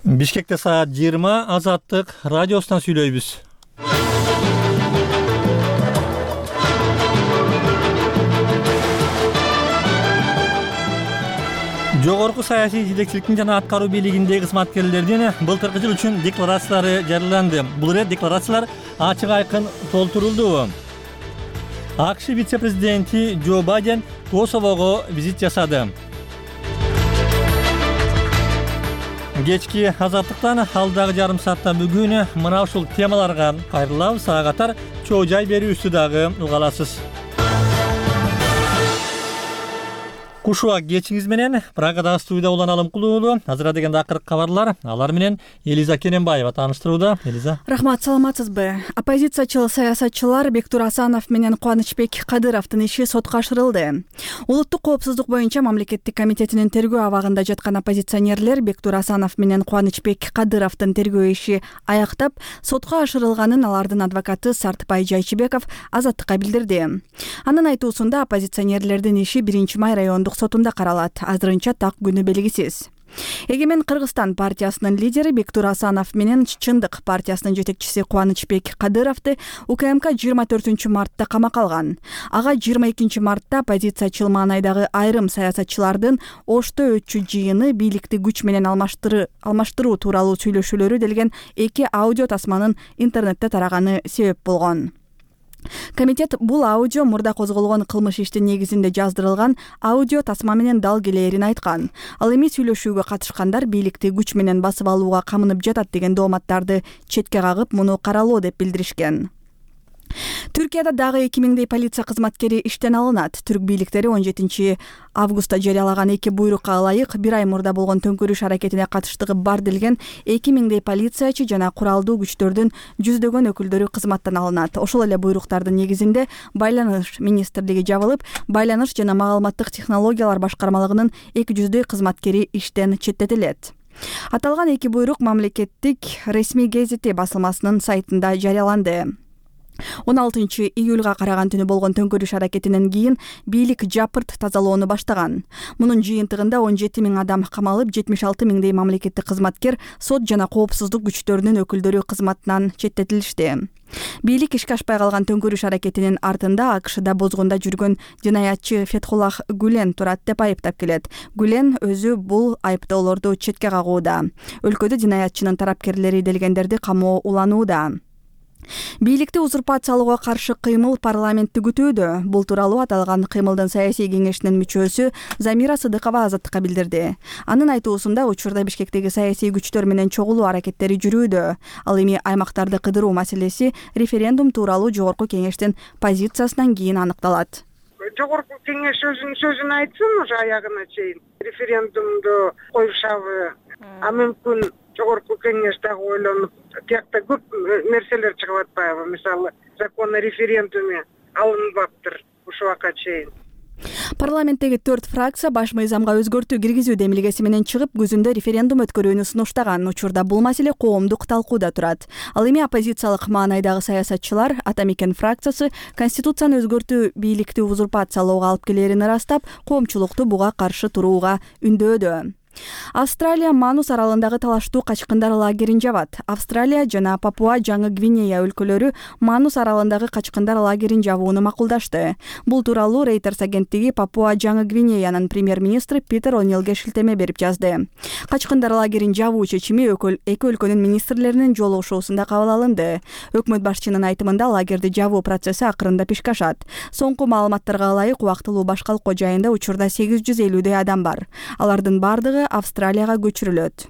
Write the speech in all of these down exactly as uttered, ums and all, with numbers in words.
Бишкекте саат жыйырма Азаттык радиосунан сүйлөйбүз. Жогорку саясий жетекчиликтин жана аткаруу бийлигиндеги кызматкерлердин былтыркы жыл үчүн декларациялары жарыяланды. Бул ирет декларациялар ачык айкын толтурулду. АКШ вице-президенти Джо Байден Косового визит жасады. Кечки Азаттыктан алдагы жарым саатта бүгүн мына ушул темаларга кайрылабыз. Ага катар чоо жай берүүсү дагы уга аласыз. Кушуак кечиңиз менен Прагадагы студияда Улан Алымкулуу. Азыр дегенде акыркы кабарлар. Алар менен Элиза Керенбаева тааныштырууда. Элиза. Рахмат, саламатсызбы? Оппозициячыл саясатчылар Бектур Асанов менен Кубанычбек Кадыровдун иши сотко ашырылды. Улуттук коопсуздук боюнча мамлекеттик комитетинин тергөө абагында жаткан оппозиционерлер Бектур Асанов менен Кубанычбек Кадыровдун тергөө иши аяктап, сотко ашырылганын алардын адвокаты Сартбай Жайчыбеков Азаттыкка билдирди. Анын айтуусунда оппозиционерлердин иши биринчи май райондук сотунда каралат. Азырынча так күнү белгисиз. Эгемен Кыргызстан партиясынын лидери Бектур Асанов менен Чындык партиясынын жетекчиси Кубанычбек Кадыровду УКМК жыйырма төртүнчү мартта камакка алган. Ага жыйырма экинчи мартта оппозициячыл маанайдагы айрым саясатчылардын Ошто өтчү жыйыны бийликти күч менен алмаштыруу тууралуу сүйлөшүүлөрү делген эки аудио тасманын интернетте тараганы себеп болгон. Комитет бул аудио мурда козголгон кылмыш иштин негизинде жаздырылган аудио тасма менен дал келээрин айткан. Ал эми сүйлөшүүгө катышкандар бийликти күч менен басып алууга камынып жатат деген дооматтарды четке кагып, муну каралоо деп билдиришкен. Түркияда дагы эки миңдей полиция кызматкери иштен алынат. Түрк бийликтери он жетинчи августта жарыялаган эки буйрукка ылайык бир ай мурда болгон төңкөрүш аракетине катыштыгы бар делген эки миңдей полициячы жана куралдуу күчтөрдүн жүздөгөн өкүлдөрү кызматтан алынат. Ошол эле буйруктардын негизинде Байланыш министрлиги жабылып, Байланыш жана маалыматтык технологиялар башкармалыгынын эки жүздөй кызматкери иштен четтетилет. Аталган эки буйрук мамлекеттик ресми гезити басылмасынын сайтында жарыяланды. он алтынчы июлга караган түнү болгон төңкөрүш аракетинен кийин бийлик жапырт тазалоону баштаган. Мунун жыйынтыгында он жети миң адам камалып, жетимиш алты миңдей мамлекеттик кызматкер, сот жана коопсуздук күчтөрүнүн өкүлдөрү кызматтан четтетилишти. Бийлик ишке ашпай калган төңкөрүш аракетинин артында АКШда бозгунда жүргөн жинаятчы Фетхуллах Гүлен турат деп айыптап келет. Гүлен өзү бул айыптоолорду четке кагууда. Өлкөдө жинаятчынын тарапкерлери делгендерди камоо уланууда. Бийликти узурпациялоого каршы кыймыл парламентти күтүүдө. Бул тууралуу аталган кыймылдын саясий кеңешинин мүчөсү Замира Сыдыкова Азаттыкка билдирди. Анын айтуусунда учурда Бишкектеги саясий күчтөр менен чогулуу аракеттери жүрүүдө. Ал эми аймактарды кыдыруу маселеси референдум тууралуу жогорку кеңештин позициясынан кийин аныкталат. Жогорку кеңеш өзүнүн сөзүн айтсын, уже аягына чейин референдумду коюшабы, а мүмкүн жогорку кеңеш дагы ойлонуп, тиякта көп нерселер чыгып атпайбы? Мисалы, закон о референдуме алынбаптыр ушул убакка чейин. Парламенттеги төрт фракция баш мыйзамга өзгөртүү киргизүү демилгеси менен чыгып, күзүндө референдум өткөрүүнү сунуштаган. Учурда бул маселе коомдук талкууда турат. Ал эми оппозициялык маанайдагы саясатчылар Атамекен фракциясы конституцияны өзгөртүү бийликти узурпациялоого алып келерин ырастап, коомчулукту буга каршы турууга үндөөдө. Австралия Манус аралындагы талаштуу качкындар лагерин жабат. Австралия жана Папуа Жаңы Гвинея өлкөлөрү Манус аралындагы качкындар лагерин жабууну макулдашты. Бул тууралуу Reuters агенттиги Папуа Жаңы Гвинеянын премьер-министри Питер О'Нилге шилтеме берип жазды. Качкындар лагерин жабуу чечими эки өлкөнүн министрлеринин жолугушуусунда кабыл алынды. Өкмөт башчынын айтымында лагерди жабуу процесси акырындап ишке ашат. Соңку маалыматтарга ылайык убактылуу башкалык жайында учурда сегиз жүз элүүдөй адам бар. Алардын бардыгы Австралияга көчүрүлөт.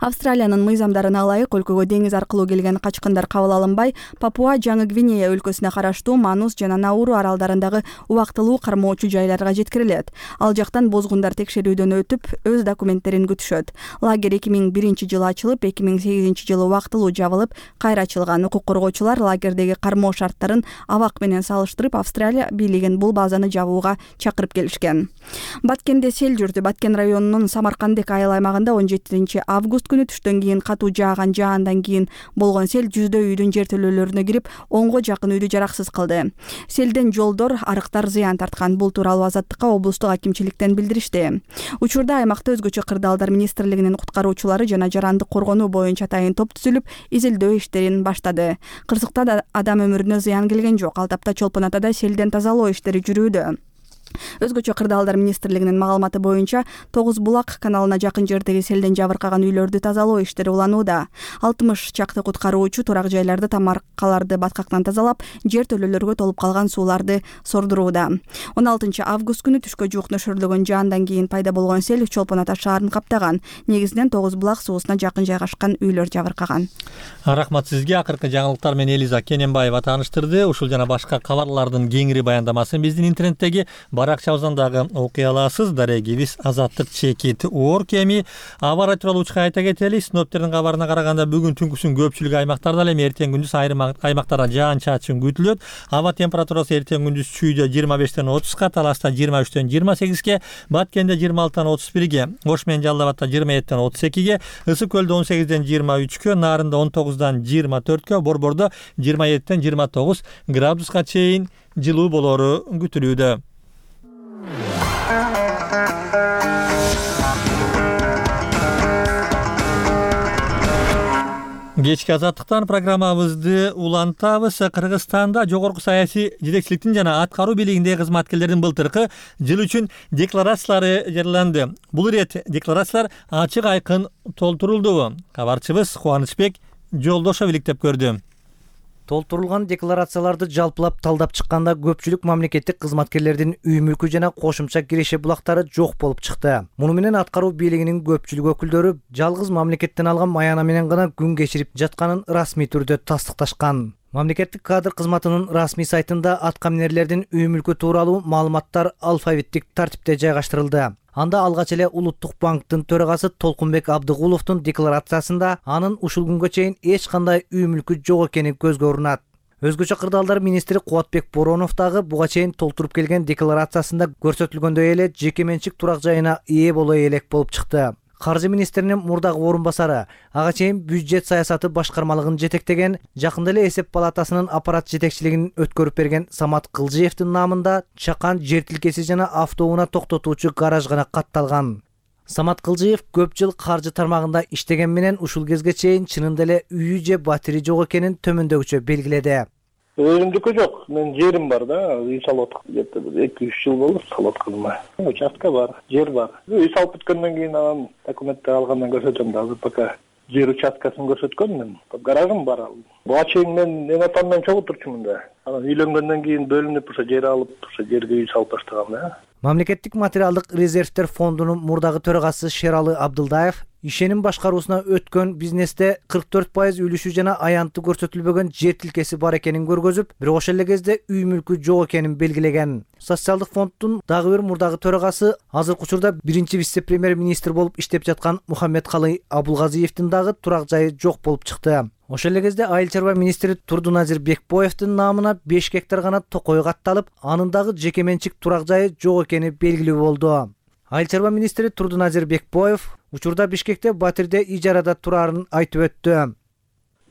Австралиянын мыйзамдарына ылайык өлкөгө деңиз аркылуу келген качкындар кабыл алынбай, Папуа Жаңы Гвинея өлкөсүнө караштуу Манус жана Науру аралдарындагы убактылуу кармоочу жайларга жеткирилет. Ал жактан бозгундар текшерүүдөн өтүп, өз документтерин күтүшөт. Лагерь эки миң биринчи жылы ачылып, эки миң сегизинчи жылы убактылуу жабылып, кайра ачылган. Укук коргоочулар лагердеги кармоо шарттарын абак менен салыштырып, Австралия бийлигин бул базаны жабууга чакырып келишкен. Баткенде сел жүрдү. Баткен районунун Самаркандек айыл аймагында он жетинчи август август күнү түштөн кийин катуу жааган жаандан кийин болгон сел жүздөй үйдүн жертөлөлөрүнө кирип онго жакын үйдү жараксыз кылды. Селден жолдор, арыктар зыян тарткан. Бул тууралуу Азаттыкка облустук акимчиликтен билдиришти. Учурда аймакта өзгөчө кырдаалдар министрлигинин куткаруучулары жана жарандык коргонуу боюнча атайын топ түзүлүп, изилдөө иштерин баштады. Кырсыкта адам өмүрүнө зыян келген жок. Ал тапта Чолпон Атада селден тазалоо иштери жүрүүдө. Өзгөчө кырдаалдар министрлигинин маалыматы боюнча Тогуз булак каналына жакын жердеги селден жабыркаган үйлөрдү тазалоо иштери уланууда. алтымыш чакты куткаруучу турак жайларды, тамаркаларды баткактан тазалап, жертөлөлөргө толуп калган сууларды сордурууда. он алтынчы август күнү түшкө жуук нөшөрлөгөн жаандан кийин пайда болгон сел Чолпон Ата шаарын каптаган. Негизинен Тогуз булак суусуна жакын жайгашкан үйлөр жабыркаган. Рахмат сизге. Акыркы жаңылыктар менен Элиза Кененбаева тааныштырды. Ушул жана башка кабарлардын кеңири баяндамасын биздин интернеттеги баракчабыздан дагы окуй аласыз. Дарегибиз Азаттык чекит орг. Эми аба ырайы тууралуу учка айта кетели. Синоптиктердин кабарына караганда бүгүн түнкүсүн көпчүлүк аймактарда, эми эртең күндүз айрым аймактарда жаан-чачын күтүлөт. Аба температурасы эртең күндүз Чүйдө жыйырма бештен отузга, Таласта жыйырма үчтөн жыйырма сегизге, Баткенде жыйырма алтыдан отуз бирге, Ош менен Жалал Абадта жыйырма эттен отуз экиге, Ысык көлдө он сегизден жыйырма үчкө, Нарында он тогуздан жыйырма төрткө, Борбордо жыйырма эттен жыйырма тогуз градуска чейин жылуу болору күтүлүүдө. Кечки Азаттыктан программабызды улантабыз. Кыргызстанда жогорку саясий жетекчиликтин жана аткаруу бийлигиндеги кызматкерлердин былтыркы жыл үчүн декларациялары жарыяланды. Бул ирет декларациялар ачык айкын толтурулду. Кабарчыбыз Кубанычбек Жолдошов иликтеп көрдү. Толтурулган декларацияларды жалпылап талдап чыкканда көпчүлүк мамлекеттик кызматкерлердин үй мүлкү жана кошумча киреше булактары жок болуп чыкты. Муну менен аткаруу бийлигинин көпчүлүк өкүлдөрү жалгыз мамлекеттен алган маяна менен гана күн кечирип жатканын расмий түрдө тастыкташкан. Мамлекеттик кадр кызматынын расмий сайтында аткаминерлердин үй мүлкү тууралуу маалыматтар алфавиттик тартипте жайгаштырылды. Анда алгач эле Улуттук банктын төрагасы Толкунбек Абдыгуловдун декларациясында анын ушул күнгө чейин эч кандай үй мүлкү жок экени көзгө урунат. Өзгөчө кырдаалдар министри Кубатбек Боронов дагы буга чейин толтуруп келген декларациясында көрсөтүлгөндөй эле жеке менчик турак жайына ээ боло элек болуп чыкты. Каржы министринин мурдагы орун басары, ага чейин бюджет саясаты башкармалыгын жетектеген, жакында эле эсеп палатасынын аппарат жетекчилигин өткөрүп берген Самат Кылжиевдин намында чакан жер тилкеси жана автоунаа токтотуучу гараж гана катталган. Самат Кылжиев көп жыл каржы тармагында иштеген менен ушул кезге чейин чынында эле үйү же батири жок экенин төмөндөгүчө белгиледи. Өзүмдүкү жок, мен жерим бар да, үй салып жатып, эки үч жыл болду салып атканыма. Участка бар, жер бар. Үй салып бүткөндөн кийин анан документти алгандан көрсөтөм да, азыр пока жер участкасын көрсөткөнмүн. Гаражым бар. Буга чейин мен эң атам менен чогуу турчумун да. Анан үйлөнгөндөн кийин бөлүнүп, ошо жер алып, ошо жерге үй салып баштагам да. Мамлекеттик материалдык резервтер фондунун мурдагы төрагасы Шералы Абдылдаев ишеним башкаруусуна өткөн бизнесте кырк төрт пайыз үлүшү жана аянты көрсөтүлбөгөн жер тилкеси бар экенин көргөзүп, бирок ошол эле кезде үй мүлкү жок экенин белгилеген. Социалдык фонддун дагы бир мурдагы төрагасы азыркы учурда биринчи вице-премьер министр болуп иштеп жаткан Мухаммедкалый Абулгазиевдин дагы турак жайы жок болуп чыкты. Ошол эле кезде айыл чарба министри Турдуназир Бекбоевдин намына беш гектар гана токой катталып, анын дагы жеке менчик турак жайы жок экени белгилүү болду. Айыл чарба министри Турдуназир Бекбоев учурда Бишкекте батирде ижарада турарын айтып өттү.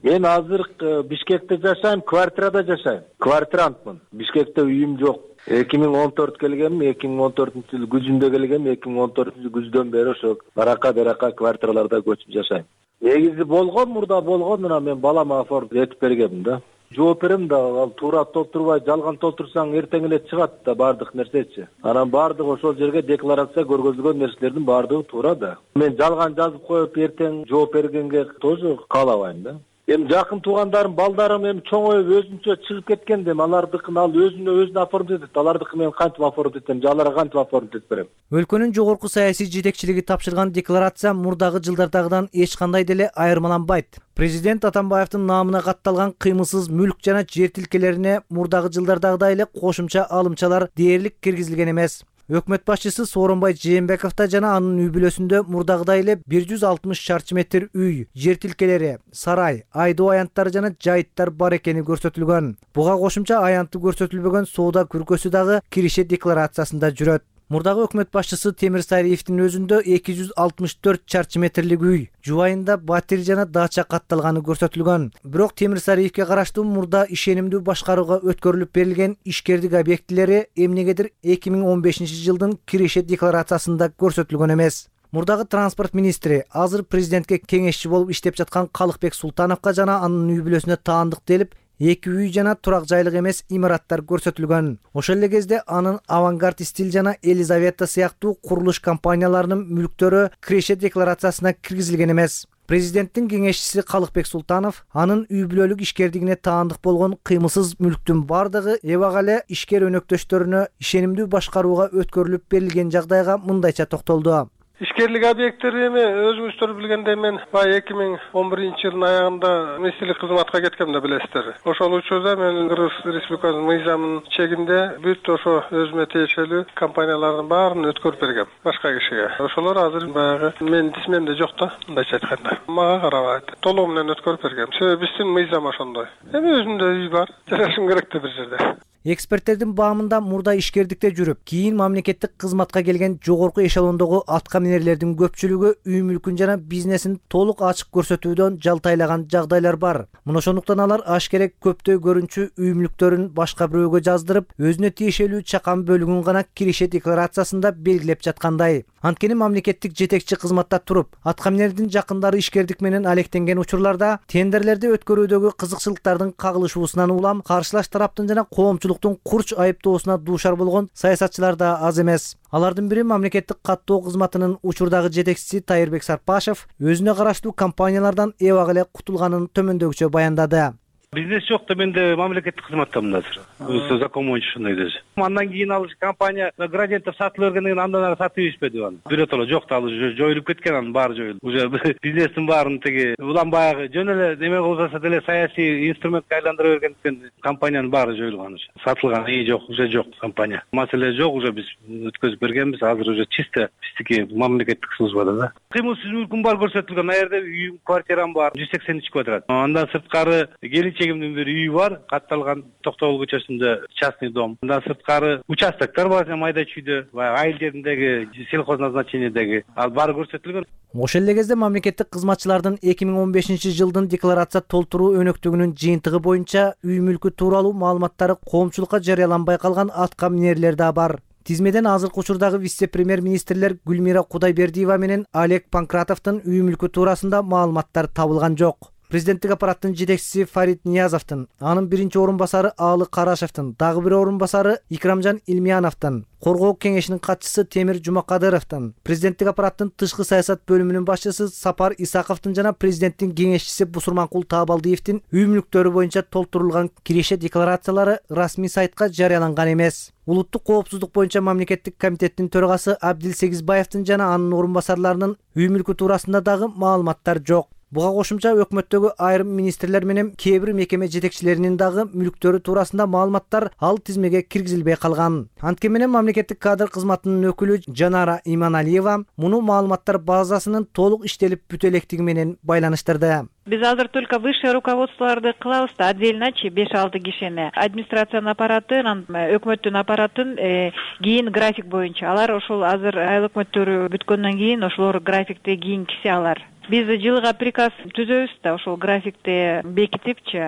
Мен азыр Бишкекте жашайм, квартирада жашайм. Квартирантмын. Бишкекте үйүм жок. эки миң он төрт келгем, эки миң он төртүнчү жыл күзүндө келгем, эки миң он төртүнчү күздөн бери ошо барака берака квартираларда көчүп жашайм. Негизи болгон, мурда болгон, мына мен балама оформ этип бергем да. Жооп берем да, ал туура толтурбай жалган толтурсаң эртең эле чыгат да бардык нерсечи. Анан бардык ошол жерге декларация көргөзүлгөн нерселердин бардыгы туура да. Мен жалган жазып коюп эртең жооп бергенге тоже каалабайм да. Эми жакын туугандарым, балдарым эми чоңоюп өзүнчө чыгып кеткен дем, алардыкын ал өзүнө өзүнө оформдойт этет. Алардыкы мен кантип оформдойт этем, аларга кантип оформдойт берем. Өлкөнүн жогорку саясий жетекчилиги тапшырган декларация мурдагы жылдардагыдан эч кандай деле айырмаланбайт. Президент Атамбаевдин намына катталган кыймылсыз мүлк жана жер тилкелерине мурдагы жылдардагыдай эле кошумча алымчалар дээрлик киргизилген эмес. Өкмөт башчысы Сооронбай Жээнбековдо жана анын үй бүлөсүндө мурдагыдай эле бир жүз алтымыш чарчы метр үй, жер тилкелери, сарай, айдоо аянттары жана жайыттар бар экени көрсөтүлгөн. Буга кошумча аянты көрсөтүлбөгөн соода күркөсү дагы киреше декларациясында жүрөт. Мурдагы өкмөт башчысы Темир Сариевдин өзүндө эки жүз алтымыш төрт чарчы метрлик үй, жубайында батир жана дача катталганы көрсөтүлгөн. Бирок Темир Сариевге караштуу мурда ишенимдүү башкарууга өткөрүлүп берилген ишкердик объектилери эмнегедир эки миң он бешинчи жылдын киреше декларациясында көрсөтүлгөн эмес. Мурдагы транспорт министри азыр президентке кеңешчи болуп иштеп жаткан Калыкбек Султановго жана анын үй бүлөсүнө таандык делип эки үй жана турак жайлык эмес имараттар көрсөтүлгөн. Ошол эле кезде анын Авангард стиль жана Елизавета сыяктуу курулуш компанияларынын мүлктөрү киреше декларациясына киргизилген эмес. Президенттин кеңешчиси Калыкбек Султанов анын үй бүлөлүк ишкердигине таандык болгон кыймылсыз мүлктүн бардыгы эбак эле ишкер өнөктөштөрүнө ишенимдүү башкарууга өткөрүлүп берилген жагдайга мындайча токтолду. Ишкерлик объекттери эми өзүңүздөр билгендей мен баягы эки миң он биринчи жылдын аягында министрлик кызматка кеткем да билесиздер. Ошол учурда мен Кыргыз Республикасынын мыйзамынын чегинде бүт ошо өзүмө тиешелүү компаниялардын баарын өткөрүп бергем башка кишиге. Ошолор азыр баягы менин тизмемде жок да, мындайча айтканда. Мага карабайт. Толугу менен өткөрүп бергем. Себеби биздин мыйзам ошондой. Эми өзүмдө үй бар. Жашашым керек да бир жерде. Эксперттердин баамында мурда ишкердикте жүрүп, кийин мамлекеттик кызматка келген жогорку эшелондогу аткаминерлердин көпчүлүгү үй мүлкүн жана бизнесин толук ачык көрсөтүүдөн жалтайлаган жагдайлар бар. Мына ошондуктан алар ашкерек көптөй көрүнчү үй мүлктөрүн башка бирөөгө жаздырып, өзүнө тиешелүү чакан бөлүгүн гана киреше декларациясында белгилеп жаткандай. Анткени мамлекеттик жетекчи кызматта туруп, аткаминердин жакындары ишкердик менен алектенген учурларда тендерлерди өткөрүүдөгү кызыкчылыктардын кагылышуусунан улам каршылаш тараптын жана коомчулуктун курч айыптоосуна дуушар болгон саясатчылар да аз эмес. Алардын бири мамлекеттик каттоо кызматынын учурдагы жетекчиси Тайырбек Сарпашев өзүнө караштуу компаниялардан эбак эле кутулганын төмөндөгүчө баяндады. Бизнес жок да менде мамлекеттик кызматтамын азыр. Өзү закон боюнча ушундай десе. Андан кийин ал компания градиенттер сатылып бергенден кийин андан ары сатып ийишпеди аны. Биротоло жок да, ал уже жоюлуп кеткен, анын баары жоюлду. Уже бизнестин баарын тиги улам баягы жөн эле неме кылса деле саясий инструментке айландыра бергендиктен компаниянын баары жоюлган уже. Сатылган ии жок, уже жок компания. Маселе жок, уже биз өткөзүп бергенбиз. Азыр уже чисто биздики мамлекеттик службада да. Кыймылсыз мүлкүм бар көрсөтүлгөн. Ал жерде үй, квартирам бар, жүз сексен үч квадрат. Андан сырткары келинчегимдин бир үйү бар, катталган Токтогул көчөсүндө частный дом. Андан сырткары участоктор бар, майда чүйдө, баягы айыл жериндеги сельхозназначениедеги ал баары көрсөтүлгөн. Ошол эле кезде мамлекеттик кызматчылардын эки миң он бешинчи жылдын декларация толтуруу өнөктүгүнүн жыйынтыгы боюнча үй мүлкү тууралуу маалыматтары коомчулукка жарыяланбай калган аткаминерлер да бар. Тизмеден азыркы учурдагы вице-премьер-министрлер Гүлмира Кудайбердиева менен Олег Панкратовдун үй мүлкү туурасында маалыматтар табылган жок. Президенттик аппараттын жетекчиси Фарид Ниязовдун, анын биринчи орун басары Аалы Карашевдин, дагы бир орун басары Икрамжан Илмияновдун, коргоо кеңешинин катчысы Темир Жумакадыровдун, президенттик аппараттын тышкы саясат бөлүмүнүн башчысы Сапар Исаковдун жана президенттин кеңешчиси Бусурманкул Таабалдиевдин үй мүлктөрү боюнча толтурулган киреше декларациялары расмий сайтка жарыяланган эмес. Улуттук коопсуздук боюнча мамлекеттик комитеттин төрагасы Абдил Сегизбаевдин жана анын орун басарларынын үй мүлкү туурасында дагы маалыматтар жок. Буга кошумча өкмөттөгү айрым министрлер менен кээ бир мекеме жетекчилеринин дагы мүлктөрү туурасында маалыматтар ал тизмеге киргизилбей калган. Анткени менен мамлекеттик кадр кызматынын өкүлү Жанара Иманалиева муну маалыматтар базасынын толук иштелип бүтө электиги менен байланыштырды. Биз азыр только высшее руководстволорду кылабыз да, отдельночи беш алты кишини. Администрациянын аппараты, өкмөттүн аппаратын кийин график боюнча. Алар ошол азыр айыл өкмөттөрү бүткөндөн кийин ошолор графикти кийинкиси алар. Биз жылга приказ түзөбүз да, ошол графикти бекитипчи,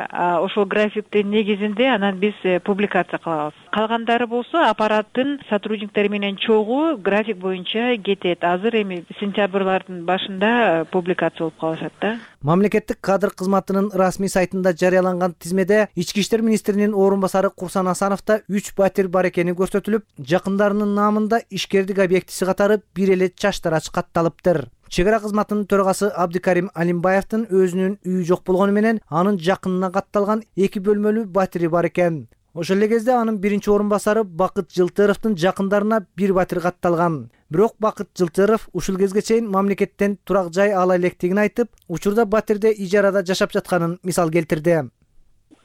ошол графиктин негизинде анан биз публикация кылабыз. Калгандары болсо аппараттын сотрудниктери менен чогуу график боюнча кетет. Азыр эми сентябрлардын башында публикация болуп калышат да. Мамлекеттик кадр кызматынын расмий сайтында жарыяланган тизмеде Ички иштер министринин орун басары Курсан Асановдо үч батир бар экени көрсөтүлүп, жакындарынын наамында ишкердик объектиси катары бир эле чаштарач катталыптыр. Чек ара кызматынын төрагасы Абдикарим Алимбаевдин өзүнүн үйү жок болгону менен анын жакынына катталган эки бөлмөлүү батири бар экен. Ошол эле кезде анын биринчи орун басары Бакыт Жылтыровдун жакындарына бир батир катталган. Бирок Бакыт Жылтыров ушул кезге чейин мамлекеттен турак жай ала электигин айтып, учурда батирде ижарада жашап жатканын мисал келтирди.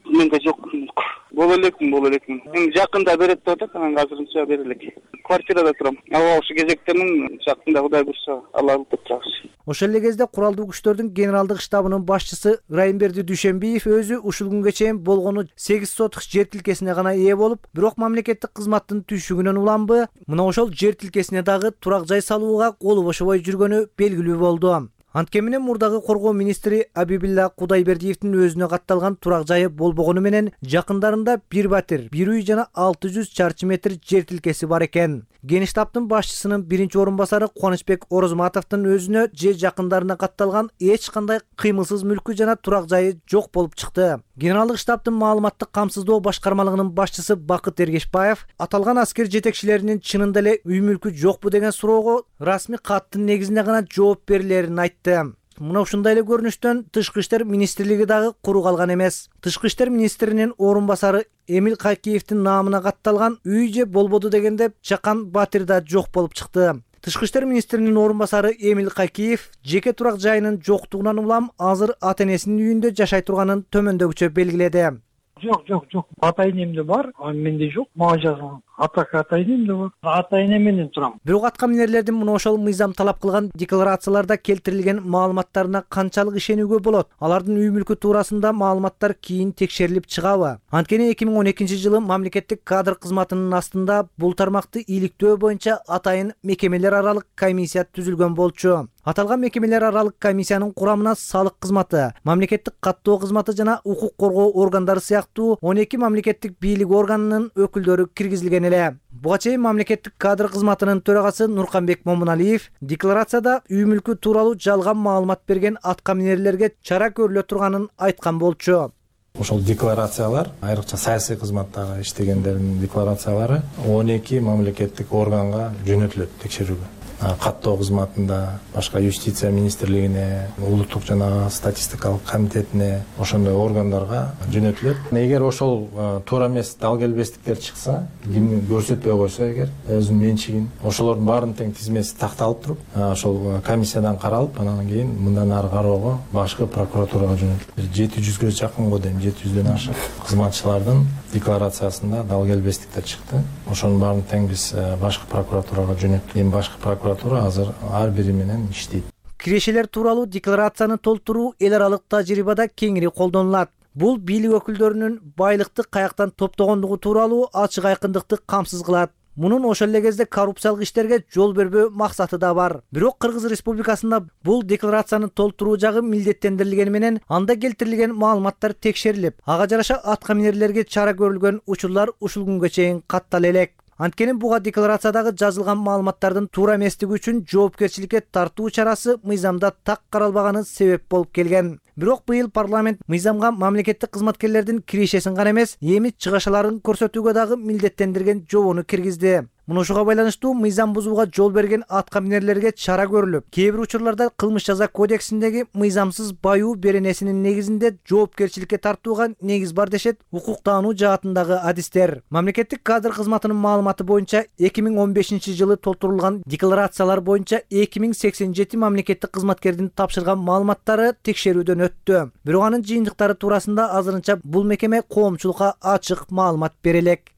Менде жок мүлк. Боло элекмин, боло элекмин. Эми жакында берет деп атат, анан азырынча бере элек. Квартирада турам. Аба ошо кезектемин, жакында Кудай буйрса алабыз деп жакшы. Ошол эле кезде куралдуу күчтөрдүн генералдык штабынын башчысы Райымберди Дүйшөнбиев өзү ушул күнгө чейин болгону сегиз сотук жер тилкесине гана ээ болуп, бирок мамлекеттик кызматтын түйшүгүнөн уламбы, мына ошол жер тилкесине дагы турак жай салууга колу бошобой жүргөнү белгилүү болду. Анткени менен мурдагы коргоо министри Абибилла Кудайбердиевдин өзүнө катталган турак жайы болбогону менен жакындарында бир батир, бир үй жана алты жүз чарчы метр жер тилкеси бар экен. Генштабтын башчысынын биринчи орун басары Кубанычбек Орозматовдун өзүнө же жакындарына катталган эч кандай кыймылсыз мүлкү жана турак жайы жок болуп чыкты. Генералдык штабтын маалыматтык камсыздоо башкармалыгынын башчысы Бакыт Эргешбаев аталган аскер жетекчилеринин чынында эле үй мүлкү жокпу деген суроого расмий каттын негизинде гана жооп берилерин айтты. Мына ушундай эле көрүнүштөн Тышкы иштер министрлиги дагы куру калган эмес. Тышкы иштер министринин орун басары Эмил Кайкиевдин наамына катталган үй же болбоду дегенде Жакан Батир да жок болуп чыкты. Тышкы иштер министринин орун басары Эмил Кайкиев жеке турак жайынын жоктугунан улам азыр ата энесинин үйүндө жашай турганын төмөндөгүчө белгиледи. Жок, жок, жок. Ата энемде бар, а менде жок. Мага жазылган. Атак ата энемде бар. Ата эне менен турам. Бирок атка минерлердин мына ошол мыйзам талап кылган декларацияларда келтирилген маалыматтарына канчалык ишенүүгө болот? Алардын үй мүлкү туурасында маалыматтар кийин текшерилип чыгабы? Анткени эки миң он экинчи жылы мамлекеттик кадр кызматынын астында бул тармакты иликтөө боюнча атайын мекемелер аралык комиссия түзүлгөн болчу. Аталган мекемелер аралык комиссиянын курамына салык кызматы, мамлекеттик каттоо кызматы жана укук коргоо органдары сыяктуу он эки мамлекеттик бийлик органынын өкүлдөрү киргизилген эле. Буга чейин мамлекеттик кадр кызматынын төрагасы Нурканбек Момуналиев декларацияда үй мүлкү тууралуу жалган маалымат берген атка минерлерге чара көрүлө турганын айткан болчу. Ошол декларациялар, айрыкча саясий кызматтагы иштегендердин декларациялары он эки мамлекеттик органга жөнөтүлөт текшерүүгө. Каттоо кызматында, башка юстиция министрлигине, улуттук жана статистикалык комитетине, ошондой органдарга жөнөтүлөт. Эгер ошол туура эмес дал келбестиктер чыкса, кимди көрсөтпөй койсо эгер өзүнүн менчигин, ошолордун баарынын тең тизмеси такталып туруп, ошол комиссиядан каралып, анан кийин мындан ары кароого башкы прокуратурага жөнөтүлөт. жети жүзгө жакын го дейм, жети жүздөн ашык кызматчылардын декларациясында дал келбестиктер чыкты. Ошонун баарын тең биз башкы прокуратурага жөнөттүк. Эми башкы прокуратура азыр ар бири менен иштейт. Кирешелер тууралуу декларацияны толтуруу эл аралык тажрыйбада кеңири колдонулат. Бул бийлик өкүлдөрүнүн байлыкты каяктан топтогондугу тууралуу ачык айкындыкты камсыз кылат. Мунун ошол эле кезде коррупциялык иштерге жол бербөө максаты да бар. Бирок Кыргыз Республикасында бул декларацияны толтуруу жагы милдеттендирилгени менен анда келтирилген маалыматтар текшерилип, ага жараша атка минерлерге чара көрүлгөн учурлар ушул күнгө чейин каттала элек. Анткени буга декларациядагы жазылган маалыматтардын туура эместиги үчүн жоопкерчиликке тартуу чарасы мыйзамда так каралбаганы себеп болуп келген. Бирок быйыл парламент мыйзамга мамлекеттик кызматкерлердин кирешесин гана эмес, эми чыгашаларын көрсөтүүгө дагы милдеттендирген жобону киргизди. Муну ушуга байланыштуу мыйзам бузууга жол берген атка минерлерге чара көрүлүп, кээ бир учурларда кылмыш жаза кодексиндеги мыйзамсыз баюу беренесинин негизинде жоопкерчиликке тартууга негиз бар дешет укуктаануу жаатындагы адистер. Мамлекеттик кадр кызматынын маалыматы боюнча эки миң он бешинчи жылы толтурулган декларациялар боюнча эки миң сексен жети мамлекеттик кызматкердин тапшырган маалыматтары текшерүүдөн өттү. Бирок анын жыйынтыктары туурасында азырынча бул мекеме коомчулукка ачык маалымат бере элек.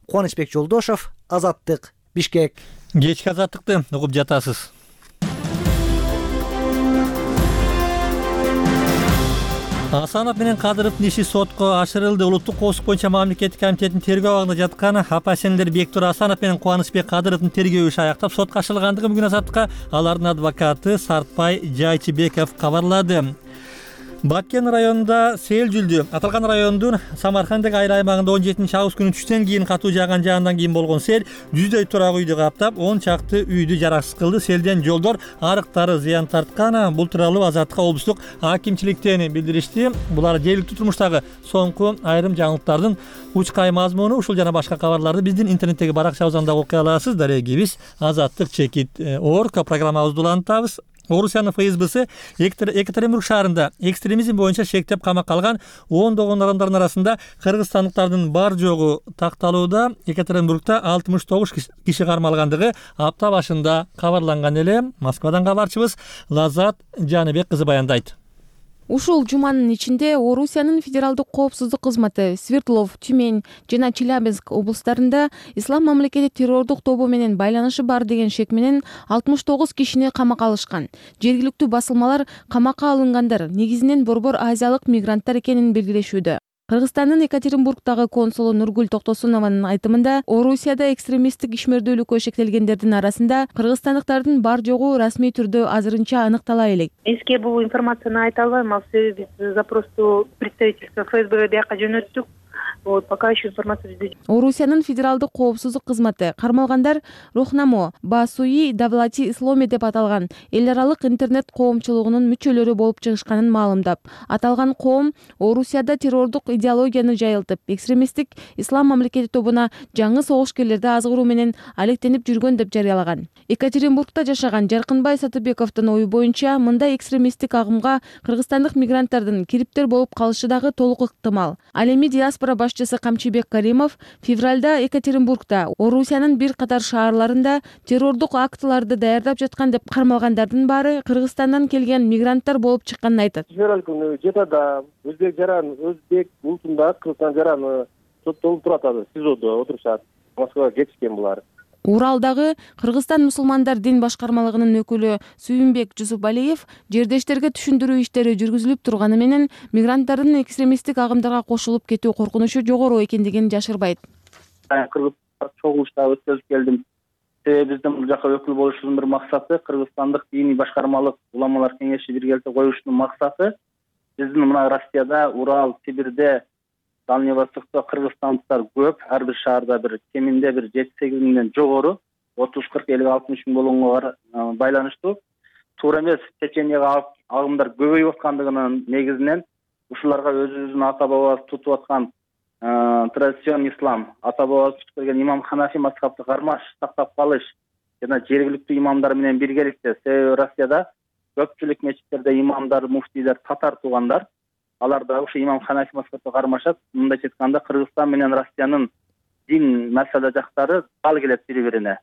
Кубанычбек Жолдошов, Азаттык, Бишкек. Кечки азаттыкты угуп жатасыз. Асанов менен Кадыровдун иши сотко ашырылды. Улуттук коопсуздук боюнча мамлекеттик комитеттин тергөө абагында жаткан апа-сиңдилер Бектур Асанов менен Кубанычбек Кадыровдун тергөө иши аяктап сотко ашырылгандыгы бүгүн Азаттыкка алардын адвокаты Сартбай Жайчыбеков кабарлады. Баккен районунда сел жүлдү. Аталган райондун Самаркандык айыл аймагында он жетинчи август күнү түштөн кийин катуу жааган жаандан кийин болгон сел жүздөй турак үйдү каптап, он чакты үйдү жараксыз кылды. Селден жолдор, арыктары зыян тарткан. Бул тууралуу Азаттыкка облустук акимчиликтен билдиришти. Булар жергиликтүү турмуштагы соңку айрым жаңылыктардын учкай мазмуну. Ушул жана башка кабарларды биздин интернеттеги баракчабыздан окуй аласыз. Дарегибиз Азаттык чекит орг программабызды улантабыз. Орусиянын ФСБсы Екатеринбург шаарында экстремизм боюнча шектеп камакка алган ондогон адамдардын арасында кыргызстандыктардын бар жогу такталууда. Екатеринбургда алтымыш тогуз киши кармалгандыгы апта башында кабарланган эле. Москвадан кабарчыбыз Лазат Жаныбек кызы баяндайт. Ушул жуманын ичинде Орусиянын федералдык коопсуздук кызматы Свердлов, Тюмень жана Челябинск облустарында ислам мамлекети террордук тобу менен байланышы бар деген шек менен алтымыш тогуз кишини камакка алышкан. Жергиликтүү басылмалар камакка алынгандар негизинен Борбор Азиялык мигранттар экенин белгилешүүдө. Кыргызстандын Екатеринбургдагы консулу Нургүл Токтосунованын айтымында, Орусияда экстремисттик ишмердүүлүккө шектелгендердин арасында кыргызстандыктардын бар жогу расмий түрдө азырынча аныктала элек. Эске бул информацияны айта албайм, ал себеби биз запросту представительство эф эс бэ бияка жөнөттүк. Вот, пока еще информация жүзү. Орусиянын федералдык коопсуздук кызматы кармалгандар Рухнамо Басуи Давлати Исломи деп аталган эл аралык интернет коомчулугунун мүчөлөрү болуп чыгышканын маалымдап, аталган коом Орусияда террордук идеологияны жайылтып, экстремисттик ислам мамлекети тобуна жаңы согушкерлерди азгыруу менен алектенип жүргөн деп жарыялаган. Екатеринбургда жашаган Жаркынбай Сатыбековдун ою боюнча, мындай экстремисттик агымга кыргызстандык мигранттардын кириптер болуп калышы дагы толук ыктымал. Ал эми диаспора башчысы Камчыбек Каримов февралда Екатеринбургда Орусиянын бир катар шаарларында террордук актыларды даярдап жаткан деп кармалгандардын баары Кыргызстандан келген мигранттар болуп чыкканын айтат. Февраль күнү Жетада өзбек жаран өзбек улутунда Кыргызстан жараны соттолуп турат, СИЗОдо отурушат. Москвага кетишкен булар. Уралдагы Кыргызстан мусулмандар дин башкармалыгынын өкүлү Сүйүнбек Жусупалиев жердештерге түшүндүрүү иштери жүргүзүлүп турганы менен мигранттардын экстремисттик агымдарга кошулуп кетүү коркунучу жогору экендигин жашырбайт. Кыргызстан чогулушта өткөзүп келдим. Себеби биздин бул жака өкүл болушубуздун бир максаты Кыргызстандык диний башкармалык уламалар кеңеши бир келте коюшунун максаты биздин мына Россияда, Урал, Сибирде, Дальневостокто кыргызстандыктар көп, ар бир шаарда бир кеминде бир жети сегиз миңден жогору, отуз кырк элүү алтымыш миң болгонго байланыштуу. Туура эмес, Чеченияга агымдар көбөйүп аткандыгынын негизинен ушуларга өзүбүздүн ата бабабыз тутуп аткан традицион ислам, ата бабабыз тутуп келген имам Ханафи мазхабты кармаш сактап калыш жана жергиликтүү имамдар менен биргеликте, себеби Россияда көпчүлүк мечиттерде имамдар, муфтийлер татар туугандар. Алар да ушу имам Ханафи мазхабына кармашат. Мындайча айтканда Кыргызстан менен Россиянын дин маселе жактары ал келет бири-бирине.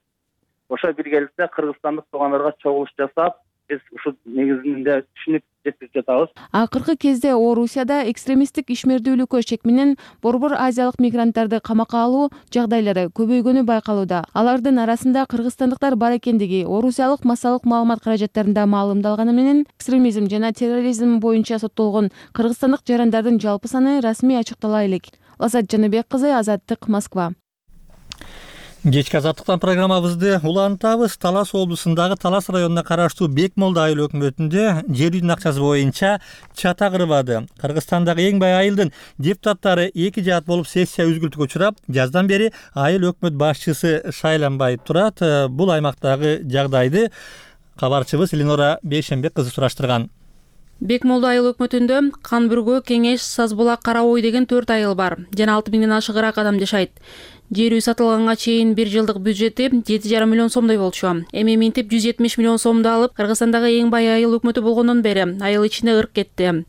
Ошо биргеликте кыргызстандык туугандарга чогулуш жасап, биз ушу негизинде түшүнүк жеткирип жатабыз. Акыркы кезде Орусияда экстремисттик ишмердүүлүккө шек менен Борбор Азиялык мигранттарды камакка алуу жагдайлары көбөйгөнү байкалууда. Алардын арасында кыргызстандыктар бар экендиги Орусиялык массалык маалымат каражаттарында маалымдалганы менен экстремизм жана терроризм боюнча соттолгон кыргызстандык жарандардын жалпы саны расмий ачыктала элек. Лазат Жаныбек кызы, Азаттык, Москва. Кечки азаттыктан программабызды улантабыз. Талас облусундагы Талас районуна караштуу Бекмолду айыл өкмөтүндө жер үйдүн акчасы боюнча чата кырбады. Кыргызстандагы эң бай айылдын депутаттары эки жаат болуп сессия үзгүлтүккө учурап, жаздан бери айыл өкмөт башчысы шайланбай турат. Бул аймактагы жагдайды кабарчыбыз Ленора Бейшенбек кызы сураштырган. Бекмолду айыл өкмөтүндө Кан Бүргө, Кеңеш, Сазбулак, Кара Ой деген төрт айыл бар. Жана алты миңден ашыгыраак адам жашайт. Жер үй сатылганга чейин бир жылдык бюджети жети жарым миллион сомдой болчу. Эми минтип жүз жетимиш миллион сомду алып, Кыргызстандагы эң бай айыл өкмөтү болгондон бери айыл ичинде ырк кетти.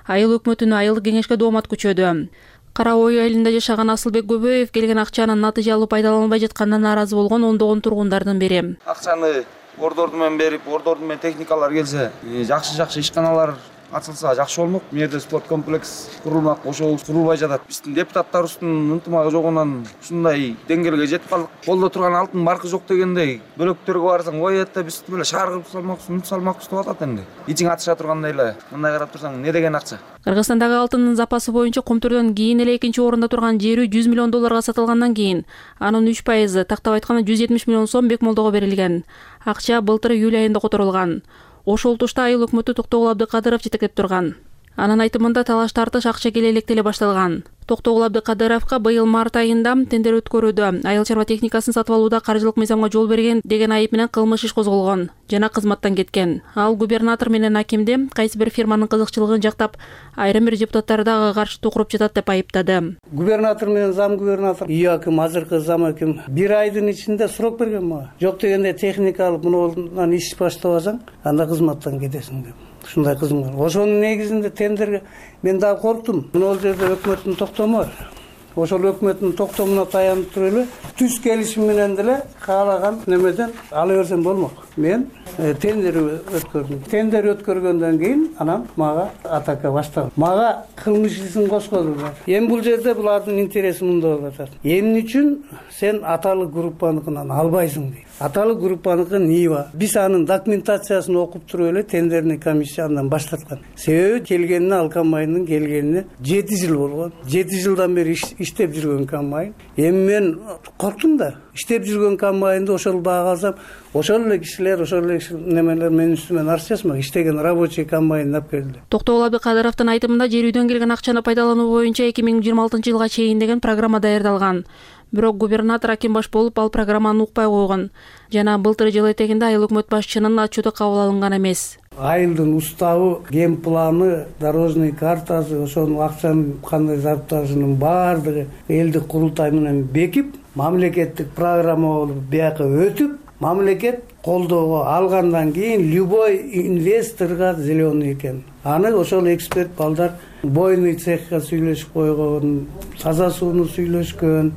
Айыл өкмөтүнө айылдык кеңешке доомат күчөдү. Кара Ой айылында жашаган Асылбек Көбөев келген акчанын натыйжалуу пайдаланылбай жатканына нааразы болгон ондогон тургундардын бири. Акчаны ордорду менен берип, ордорду менен техникалар келсе, жакшы-жакшы ишканалар ачылса жакшы болмок. Бу жерде спорт комплекс курулмак, ошол курулбай жатат. Биздин депутаттарыбыздын ынтымагы жогунан ушундай деңгээлге жетип калдык. Колдо турган алтын баркы жок дегендей, бөлөктөргө барсаң коет да биз эле шаар кылып салмакпыз, унут салмакпыз деп атат энди. Ичиң атыша тургандай эле. Мындай карап турсаң, не деген акча? Кыргызстандагы алтындын запасы боюнча Комтурдон кийин эле экинчи орунда турган жер үй жүз миллион долларга сатылгандан кийин анын үч пайызы, тактап айтканда жүз жетимиш миллион сом Бекмолдого берилген. Акча былтыр июль айында которулган. Ошол тушта айыл өкмөтү Токтогул Абдыкадыров жетектеп турган. Анын айтымында талаш тартыш акча келе электе эле башталган. Токтогул Абдыкадыровго быйыл март айында тендер өткөрүүдө айыл чарба техникасын сатып алууда каржылык мыйзамга жол берген деген айып менен кылмыш иш козголгон жана кызматтан кеткен. Ал губернатор менен акимди кайсы бир фирманын кызыкчылыгын жактап, айрым бир депутаттарды ага каршы тукуруп жатат деп айыптады. Губернатор менен зам губернатор, үй аким, азыркы зам аким бир айдын ичинде срок берген мага. Жок дегенде техника алып мындан иш баштабасаң, анда кызматтан кетесиң деп. Ушундай кызым бар. Ошонун негизинде тендерге мен дагы корктум. Мына жерде өкмөттүн токтому бар. Ошол өкмөттүн токтомуна таянып туруп эле түз келишим менен деле каалаган немеден ала берсем болмок. мен тендер өткөрдүм. Тендер өткөргөндөн кийин анан мага атака башталды. Мага кылмыш ишин кошкозулар. Эми бул жерде булардын интереси мындай болуп атат. Эмне үчүн сен аталык группаныкынан албайсың дейт. Аталык группаныкы Нива. Биз анын документациясын окуп туруп эле тендерный комиссия андан баштаткан. Себеби келгенине ал комбайндын келгенине жети жыл болгон. жети жылдан бери иштеп жүргөн комбайн. Эми мен корктум да. Иштеп жүргөн комбайнды ошол баага алсам, ошол эле кишилер, ошол эле немелер менин үстүмөн арыз жазмак. Иштеген рабочий комбайн алып келди. Токтогул Абдыкадыровдун айтымында жер үйдөн келген акчаны пайдалануу боюнча эки миң жыйырма алтынчы жылга чейин деген программа даярдалган. Бирок губернатор Аким баш болуп ал программаны укпай койгон. Жана былтыр жыл этегинде айыл өкмөт башчынын отчету кабыл алынган эмес. Айылдын уставы, ген планы, дорожный картасы, ошонун акчанын кандай зарпташынын баардыгы элдик курултай менен бекип, мамлекеттик программа болуп бияка өтүп, мамлекет колдоого алгандан кийин любой инвесторго зеленый экен. Аны ошол эксперт балдар бойный цехка сүйлөшүп койгон, таза сууну сүйлөшкөн,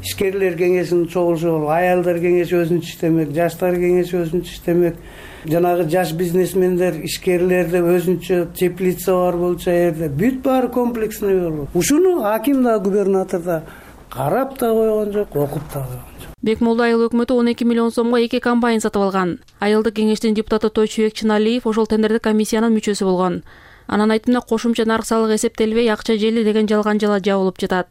ишкерлер кеңешинин чогулушу болуп, аялдар кеңеши өзүнчө иштемек, жаштар кеңеши өзүнчө иштемек, жанагы жаш бизнесмендер, ишкерлерде өзүнчө теплица бар болчу жерде, бүт баары комплексный болуп. Ушуну аким да, губернатор да карап да койгон жок, окуп да койгон жок. Бекмолду айыл өкмөтү он эки миллион сомго эки комбайн сатып алган. Айылдык кеңештин депутаты Тойчубек Чыналиев ошол тендердик комиссиянын мүчөсү болгон. Анын айтымында кошумча нарк салыгы эсептелбей, акча жели деген жалган жала жабылып жатат.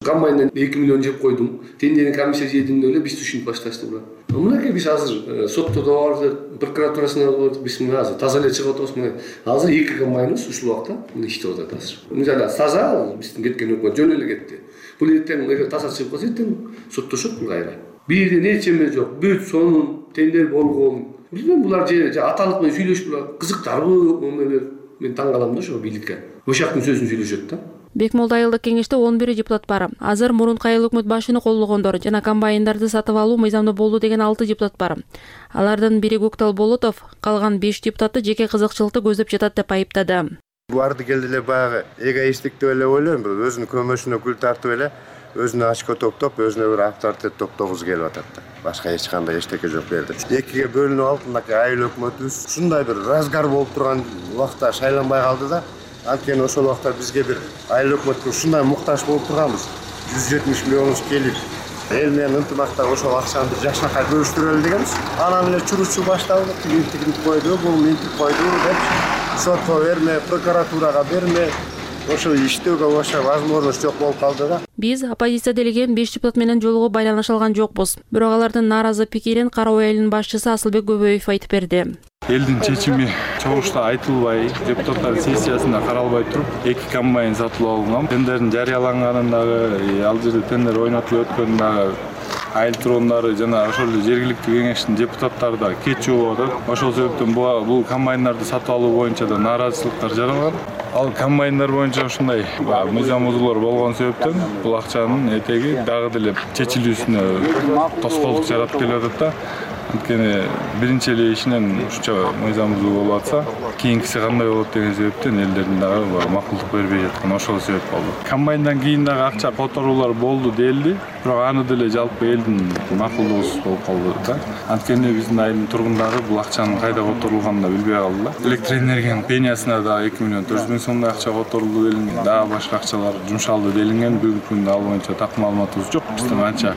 Комбайндан эки миллион жеп койдум. Тендердин комиссия жедимде эле биз түшүнүп башташты була. Мынакей биз азыр сотто да бардык, прокуратурасына бардык, биз мына азыр таза эле чыгып атабыз. Мына азыр эки комбайныбыз ушул убакта мына иштеп атат азыр. Мына таза биздин кеткен өкмөт жөн эле кетти. Бул эртең эгер таза чыгып калса эртең соттошот кайра. Бирде нечеме жок, бүт сонун тендер болгон. Билбейм, булар же аталык менен сүйлөшүп кызыктарбы, эмелер. Мен таң калам да ошо бийликке. Ошактын сөзүн сүйлөшөт да. Бекмолду айылдык кеңеште он бир депутат бар. Азыр мурунку айыл өкмөт башчыны колдогондор жана комбайндарды сатып алуу мыйзамда болду деген алты депутат бар. Алардын бири Көктал Болотов, калган беш депутаты жеке кызыкчылыкты көздөп жатат деп айыптады. Барды келди эле баягы эгоисттик деп эле ойлойм. Өзүнүн көмөшүнө күл тартып эле, өзүнө очко топтоп, өзүнө бир авторитет топтогузу келип атат да. Башка эч кандай эчтеке жок берди. Экиге бөлүнүп алып, мынакей айыл өкмөтүбүз ушундай бир разгар болуп турган убакта шайланбай калды да. Анткени ошол убакта бизге бир айыл өкмөткө ушундай муктаж болуп турганбыз. жүз жетимиш миллионубуз келип, эл менен ынтымакта ошол акчаны бир жакшынакай бөлүштүрөлү дегенбиз. Анан эле чуручу башталды. Тигинтигин койду, бул минтип койду деп сотко берме, прокуратурага берме, ошо иштөөгө башка возможность жок болуп калды да. Биз оппозиция делеген беш депутат менен жолугуп байланыша алган жокпуз. Бирок алардын нааразы пикирин Карабай айылынын башчысы Асылбек Көбөев айтып берди. Элдин чечими чогулушта айтылбай, депутаттар сессиясында каралбай туруп, эки комбайн сатылып алынган. Тендердин жарыяланганындагы, ал жерде тендер ойнотулуп өткөндөгү айыл тургундары жана ошол жергиликтүү кеңештин депутаттары да кетчү болуп атат. Ошол себептен бул комбайндарды сатып алуу боюнча да нааразычылыктар жаралган. Ал комбайндар боюнча ушундай мыйзам бузуулар болгон себептен бул акчанын этеги дагы деле чечилүүсүнө тоскоолдук жаратып келип атат да. Анткени биринчи эле ишинен ушунча мыйзам бузуу болуп атса, кийинкиси кандай болот деген себептен элдердин дагы макулдук бербей жаткан ошол себеп болду. Комбайндан кийин дагы акча которуулар болду делди, бирок аны деле жалпы элдин макулдугусуз болуп калды да. Анткени биздин айылдын тургундары бул акчанын кайда которулганын да билбей калды да. Электр энергиянын пениясына да эки миллион төрт жүз миң сомдой акча которулду делинген, дагы башка акчалар жумшалды делинген. Бүгүнкү күндө ал боюнча так маалыматыбыз жок. Биздин канча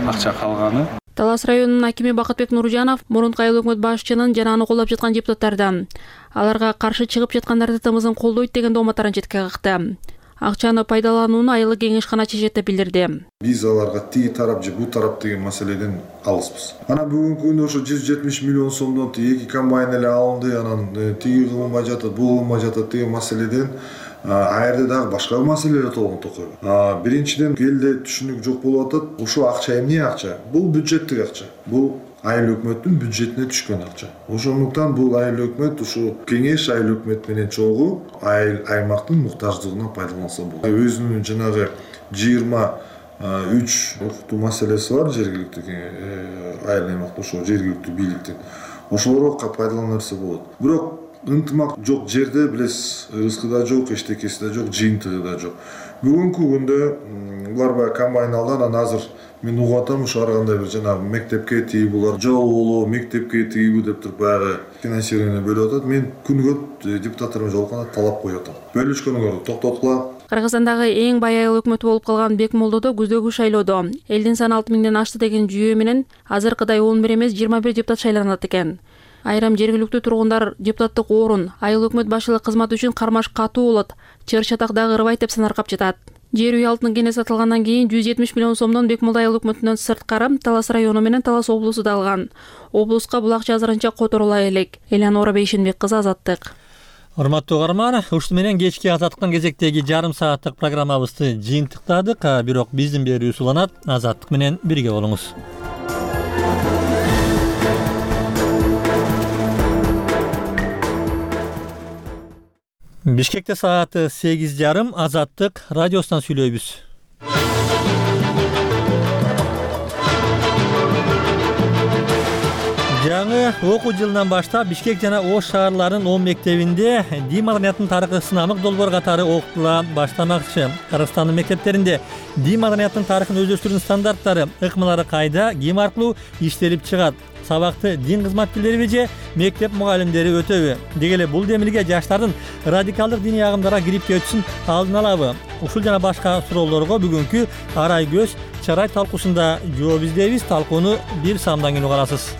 акча калганы. Талас районунун акими Бакытбек Нуржанов мурунку айыл өкмөт башчынын жана аны колдоп жаткан депутаттардан аларга каршы чыгып жаткандарды тымызын колдойт деген дооматтарын четке какты. Акчаны пайдаланууну айылдык кеңеш гана чечет деп билдирди. Биз аларга тиги тарап же бул тарап деген маселеден алыспыз. Анан бүгүнкү күндө ошо жүз жетимиш миллион сомдон эки комбайн эле алынды, анан тиги кылынбай жатат, бул кылынбай жатат деген маселеден а жерде дагы башка маселелер толгон токойбу. Биринчиден элде түшүнүк жок болуп атат. Ушул акча эмне акча? Бул бюджеттик акча. Бул айыл өкмөттүн бюджетине түшкөн акча. Ошондуктан бул айыл өкмөт ушу кеңеш айыл өкмөт менен чогуу айыл аймактын муктаждыгына пайдаланса болот. Өзүнүн жанагы жыйырма үч окутуу маселеси бар жергиликтүү айыл аймакта ошо жергиликтүү бийликтин. Ошолорго пайдалана берсе болот. Бирок ынтымак жок жерде билесиз, ырыскы да жок, эчтекеси да жок, жыйынтыгы да жок. Бүгүнкү күндө булар баягы комбайн алды, анан азыр мен угуп атам, ушу ар кандай бир жанагы мектепке тиги булар жол болобу, мектепке тигиби деп туруп баягы финансирование бөлүп атат. Мен күнүгө депутаттар менен жолукканда талап коюп атам. Бөлүшкөнгөрдү токтоткула. Кыргызстандагы эң бай айыл өкмөтү болуп калган Бекмолдодо күздөгү шайлоодо элдин саны алты миңден ашты деген жүйө менен азыркыдай он бир эмес жыйырма бир депутат шайланат экен. Айрым жергиликтүү тургундар депутаттык орун айыл өкмөт башчылык кызматы үчүн кармаш катуу болот, чыр чатагдагы ырбайт деп санаркап жатат. Жер үй алтын кене сатылгандан кийин жүз жетимиш миллион сомдон Бекмолдо айыл өкмөтүнөн сырткары Талас району менен Талас облусу да алган. Облуска бул акча азырынча которула элек. Элеонора Бейшенбек кызы, Азаттык. Урматтуу угарман, ушуну менен кечки Азаттыктын кезектеги жарым сааттык программабызды жыйынтыктадык, бирок биздин берүүбүз уланат. Азаттык менен бирге болуңуз. Бишкекте сааты сегиз жарым, Азаттык радиосунан сүйлөйбүз. Жаңы окуу жылынан баштап Бишкек жана Ош шаарларынын он мектебинде дин маданияттын тарыхы сынамык долбоор катары окутула баштамакчы. Кыргызстандын мектептеринде дин маданияттын тарыхын өздөштүрүүнүн стандарттары, ыкмалары кайда, ким аркылуу иштелип чыгат? Сабакты дин кызматкерлери же мектеп мугалимдери өтөбү? Деги эле бул демилге жаштардын радикалдык диний агымдарга кирип кетүүсүн алдын алабы? Ушул жана башка суроолорго бүгүнкү Арай көз чарай талкуусунда жооп издейбиз. Талкууну бир самдан кийин угарасыз.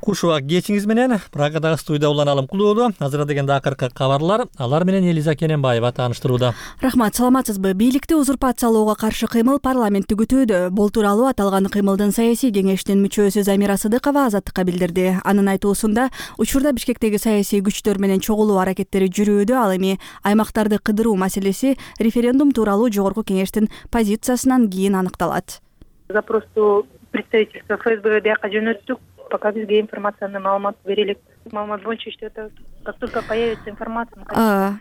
Куш убак кечиңиз менен Прагадагы студияда уланалым кулуулу. Азыр дегенде акыркы кабарлар, алар менен Элиза Кененбаева тааныштырууда. Рахмат, саламатсызбы? Бийликти узурпациялоого каршы кыймыл парламентти күтүүдө. Бул тууралуу аталган кыймылдын саясий кеңештин мүчөсү Замира Сыдыкова Азаттыкка билдирди. Анын айтуусунда, учурда Бишкектеги саясий күчтөр менен чогулуу аракеттери жүрүүдө, ал эми аймактарды кыдыруу маселеси референдум тууралуу жогорку кеңештин позициясынан кийин аныкталат. Запросту представительство ФСБ бияка жөнөттүк. Пока бизге информацияны маалымат берелик. Маалымат боюнча иштеп атабыз. Как только появится информация,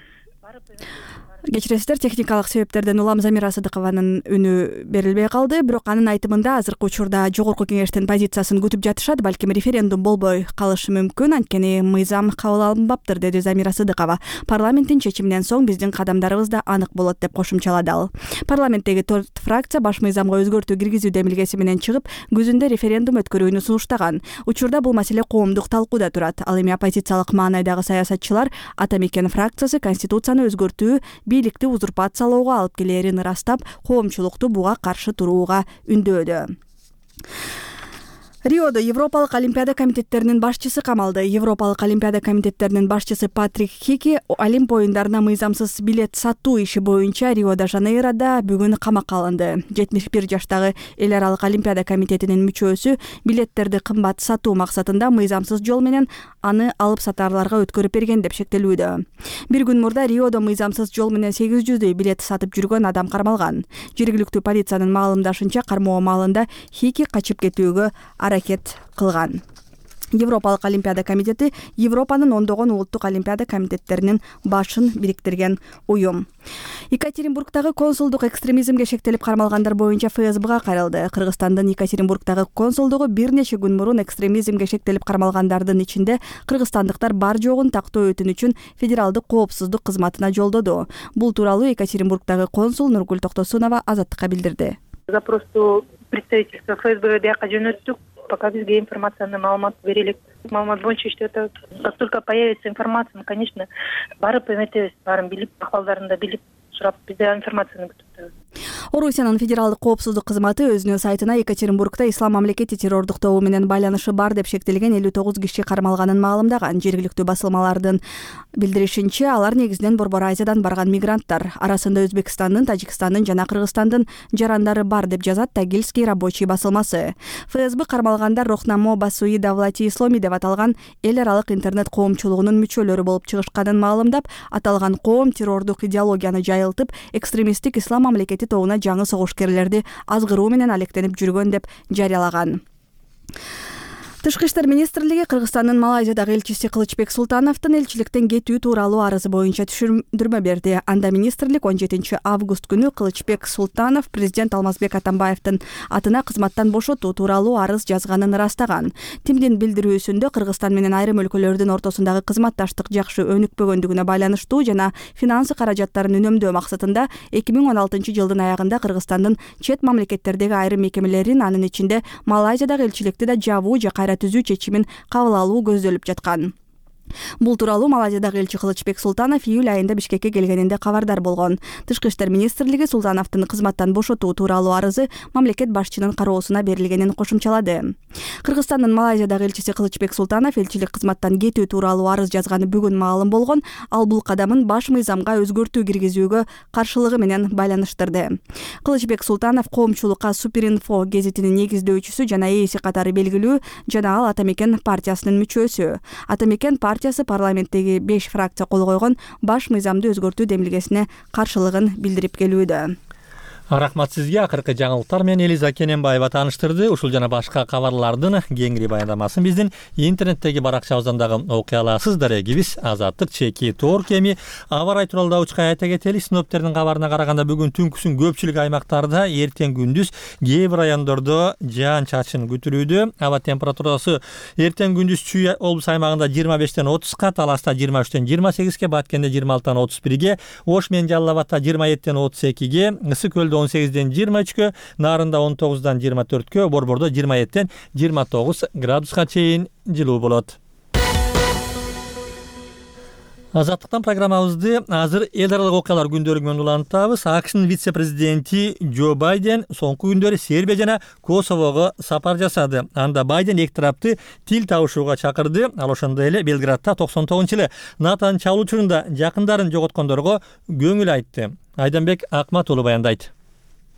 кечиресиздер, техникалык себептерден улам Замира Сыдыкованын үнү берилбей калды, бирок анын айтымында азыркы учурда жогорку кеңештин позициясын күтүп жатышат, балким референдум болбой калышы мүмкүн, анткени мыйзам кабыл алынбаптыр, деди Замира Сыдыкова. Парламенттин чечиминен соң биздин кадамдарыбыз да анык болот деп кошумчалады ал. Парламенттеги төрт фракция баш мыйзамга өзгөртүү киргизүү демилгеси менен чыгып, күзүндө референдум өткөрүүнү сунуштаган. Учурда бул маселе коомдук талкууда турат. Ал эми оппозициялык маанайдагы саясатчылар Ата Мекен фракциясы конституцияны өзгөртүү бийликти узурпациялоого алып келерин ырастап, коомчулукту буга каршы турууга үндөөдө. Риодо Европалык Олимпиада комитеттеринин башчысы камалды. Европалык Олимпиада комитеттеринин башчысы Патрик Хики Олимп оюндарына мыйзамсыз билет сатуу иши боюнча Рио-де-Жанейрода бүгүн камакка алынды. жетимиш бир жаштагы Эл аралык Олимпиада комитетинин мүчөсү билеттерди кымбат сатуу максатында мыйзамсыз жол менен аны алып сатарларга өткөрүп берген деп шектелүүдө. Бир күн мурда Риодо мыйзамсыз жол менен сегиз жүздөй билет сатып жүргөн адам кармалган. Жергиликтүү полициянын маалымдашынча, кармоо маалында Хики качып кетүүгө аракет кылган. Европалык Олимпиада комитети Европанын ондогон улуттук олимпиада комитеттеринин башын бириктирген уюм. Екатеринбургдагы консулдук экстремизмге шектелип кармалгандар боюнча ФСБга кайрылды. Кыргызстандын Екатеринбургдагы консулдугу бир нече күн мурун экстремизмге шектелип кармалгандардын ичинде кыргызстандыктар бар жогун тактоо өтүн үчүн федералдык коопсуздук кызматына жолдоду. Бул тууралуу Екатеринбургдагы консул Нургүл Токтосунова Азаттыкка билдирди. Запросту представительство ФСБ бияка жөнөттүк. Пока бизге информацияны маалымат берелик. Маалымат боюнча иштеп атабыз. Как только появится информация, конечно, барып эметебиз, баарын билип, акыбалдарын да билип, сурап, бизде информацияны күтүп атабыз. Орусиянын федералдык коопсуздук кызматы өзүнүн сайтына Екатеринбургда ислам мамлекети террордуктоо менен байланышы бар деп шектелген элүү тогуз киши кармалганын маалымдаган. Жергиликтүү басылмалардын билдиришинче, алар негизинен Борбор Азиядан барган мигранттар. Арасында Өзбекстандын, Тажикстандын жана Кыргызстандын жарандары бар деп жазат Тагильский рабочий басылмасы. ФСБ кармалгандар Рохнамо Басуи Давлати Исломи деп аталган эл аралык интернет коомчулугунун мүчөлөрү болуп чыгышканын маалымдап, аталган коом террордук идеологияны жайылтып, экстремисттик ислам мамлекети тобуна жаңы согушкерлерди азгыруу менен алектенип жүргөн деп жарыялаган. Тышкы иштер министрлиги Кыргызстандын Малайзиядагы элчиси Кылычбек Султановдун элчиликтен кетүү тууралуу арызы боюнча түшүндүрмө берди. Анда министрлик он жетинчи август күнү Кылычбек Султанов президент Алмазбек Атамбаевдин атына кызматтан бошотуу тууралуу арыз жазганын ырастаган. Тимдин билдирүүсүндө Кыргызстан менен айрым өлкөлөрдүн ортосундагы кызматташтык жакшы өнүкпөгөндүгүнө байланыштуу жана финансы каражаттарын үнөмдөө максатында эки миң он алтынчы жылдын аягында Кыргызстандын чет мамлекеттердеги айрым мекемелерин, анын ичинде Малайзиядагы элчиликти да жабуу же кайра түзүү чечимин кабыл алуу көздөлүп жаткан. Бул тууралуу Малайзиядагы элчи Кылычбек Султанов июль айында Бишкекке келгенинде кабардар болгон. Тышкы иштер министрлиги Султановдун кызматтан бошотуу тууралуу арызы мамлекет башчынын кароосуна берилгенин кошумчалады. Кыргызстандын Малайзиядагы элчиси Кылычбек Султанов элчилик кызматтан кетүү тууралуу арыз жазганы бүгүн маалым болгон. Ал бул кадамын баш мыйзамга өзгөртүү киргизүүгө каршылыгы менен байланыштырды. Кылычбек Султанов коомчулукка Суперинфо гезитинин негиздөөчүсү жана ээси катары белгилүү жана ал Ата Мекен партиясынын мүчөсү. Ата Мекен партиясы парламенттеги беш фракция кол койгон баш мыйзамды өзгөртүү демилгесине каршылыгын билдирип келүүдө. Рахмат сизге. Акыркы жаңылыктар менен Элиза Кененбаева тааныштырды. Ушул жана башка кабарлардын кеңири баяндамасын биздин интернеттеги баракчабыздан дагы окуй аласыз. Дарегибиз Азаттык чеки тоор кеми. Аба ырайы тууралуу да учка айта кетели. Синоптиктердин кабарына караганда бүгүн түнкүсүн көпчүлүк аймактарда, эртең күндүз кээ бир райондордо жаан чачын күтүлүүдө. Аба температурасы эртең күндүз Чүй облус аймагында жыйырма бештен отузга, Таласта жыйырма үчтөн жыйырма сегизге, Баткенде жыйырма алтыдан отуз бирге, Ош менен Жалал Абадта жыйырма жетиден отуз экиге, Ысык көлдө он сегизден жыйырма үчкө, Нарында он тогуздан жыйырма төрткө, Борбордо жыйырма жетиден жыйырма тогуз градуска чейин жылуу болот. Азаттыктан программабызды азыр эл аралык окуялар күндөрү менен улантабыз. АКШнын вице-президенти Джо Байден соңку күндөрү Сербия жана Косового сапар жасады. Анда Байден эки тарапты тил табышууга чакырды. Ал ошондой эле Белградта токсон тогузунчу жылы НАТОнун чабуул учурунда жакындарын жоготкондорго көңүл айтты. Айданбек Акмат уулу баяндайт.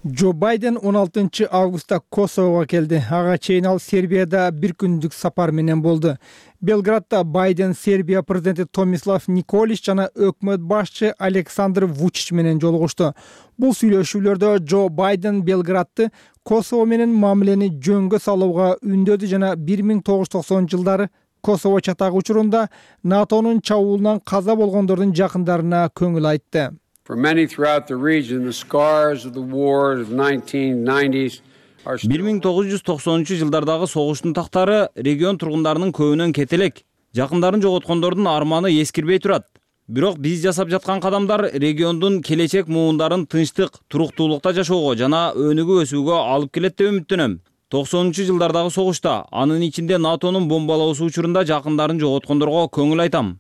Джо Байден он алтынчы августта Косового келди. Ага чейин ал Сербияда бир күндүк сапар менен болду. Белградда Байден Сербия президенти Томислав Николич жана өкмөт башчы Александр Вучич менен жолугушту. Бул сүйлөшүүлөрдө Джо Байден Белградты Косово менен мамилени жөнгө салууга үндөдү жана бир миң тогуз жүз токсонунчу жылдары Косово чатагы учурунда НАТОнун чабуулунан каза болгондордун жакындарына көңүл айтты. For many throughout the region, the scars of the war of the nineteen nineties are бир миң тогуз жүз токсонунчу жылдардагы согуштун тактары регион тургундарынын көбүнөн кетелек. Жакындарын жоготкондордун арманы эскирбей турат. Бирок биз жасап жаткан кадамдар региондун келечек муундарын тынчтык, туруктуулукта жашоого жана өнүгүп өсүүгө алып келет деп үмүттөнөм. токсонунчу жылдардагы согушта, анын ичинде НАТОнун бомбалоосу учурунда жакындарын жоготкондорго көңүл айтам.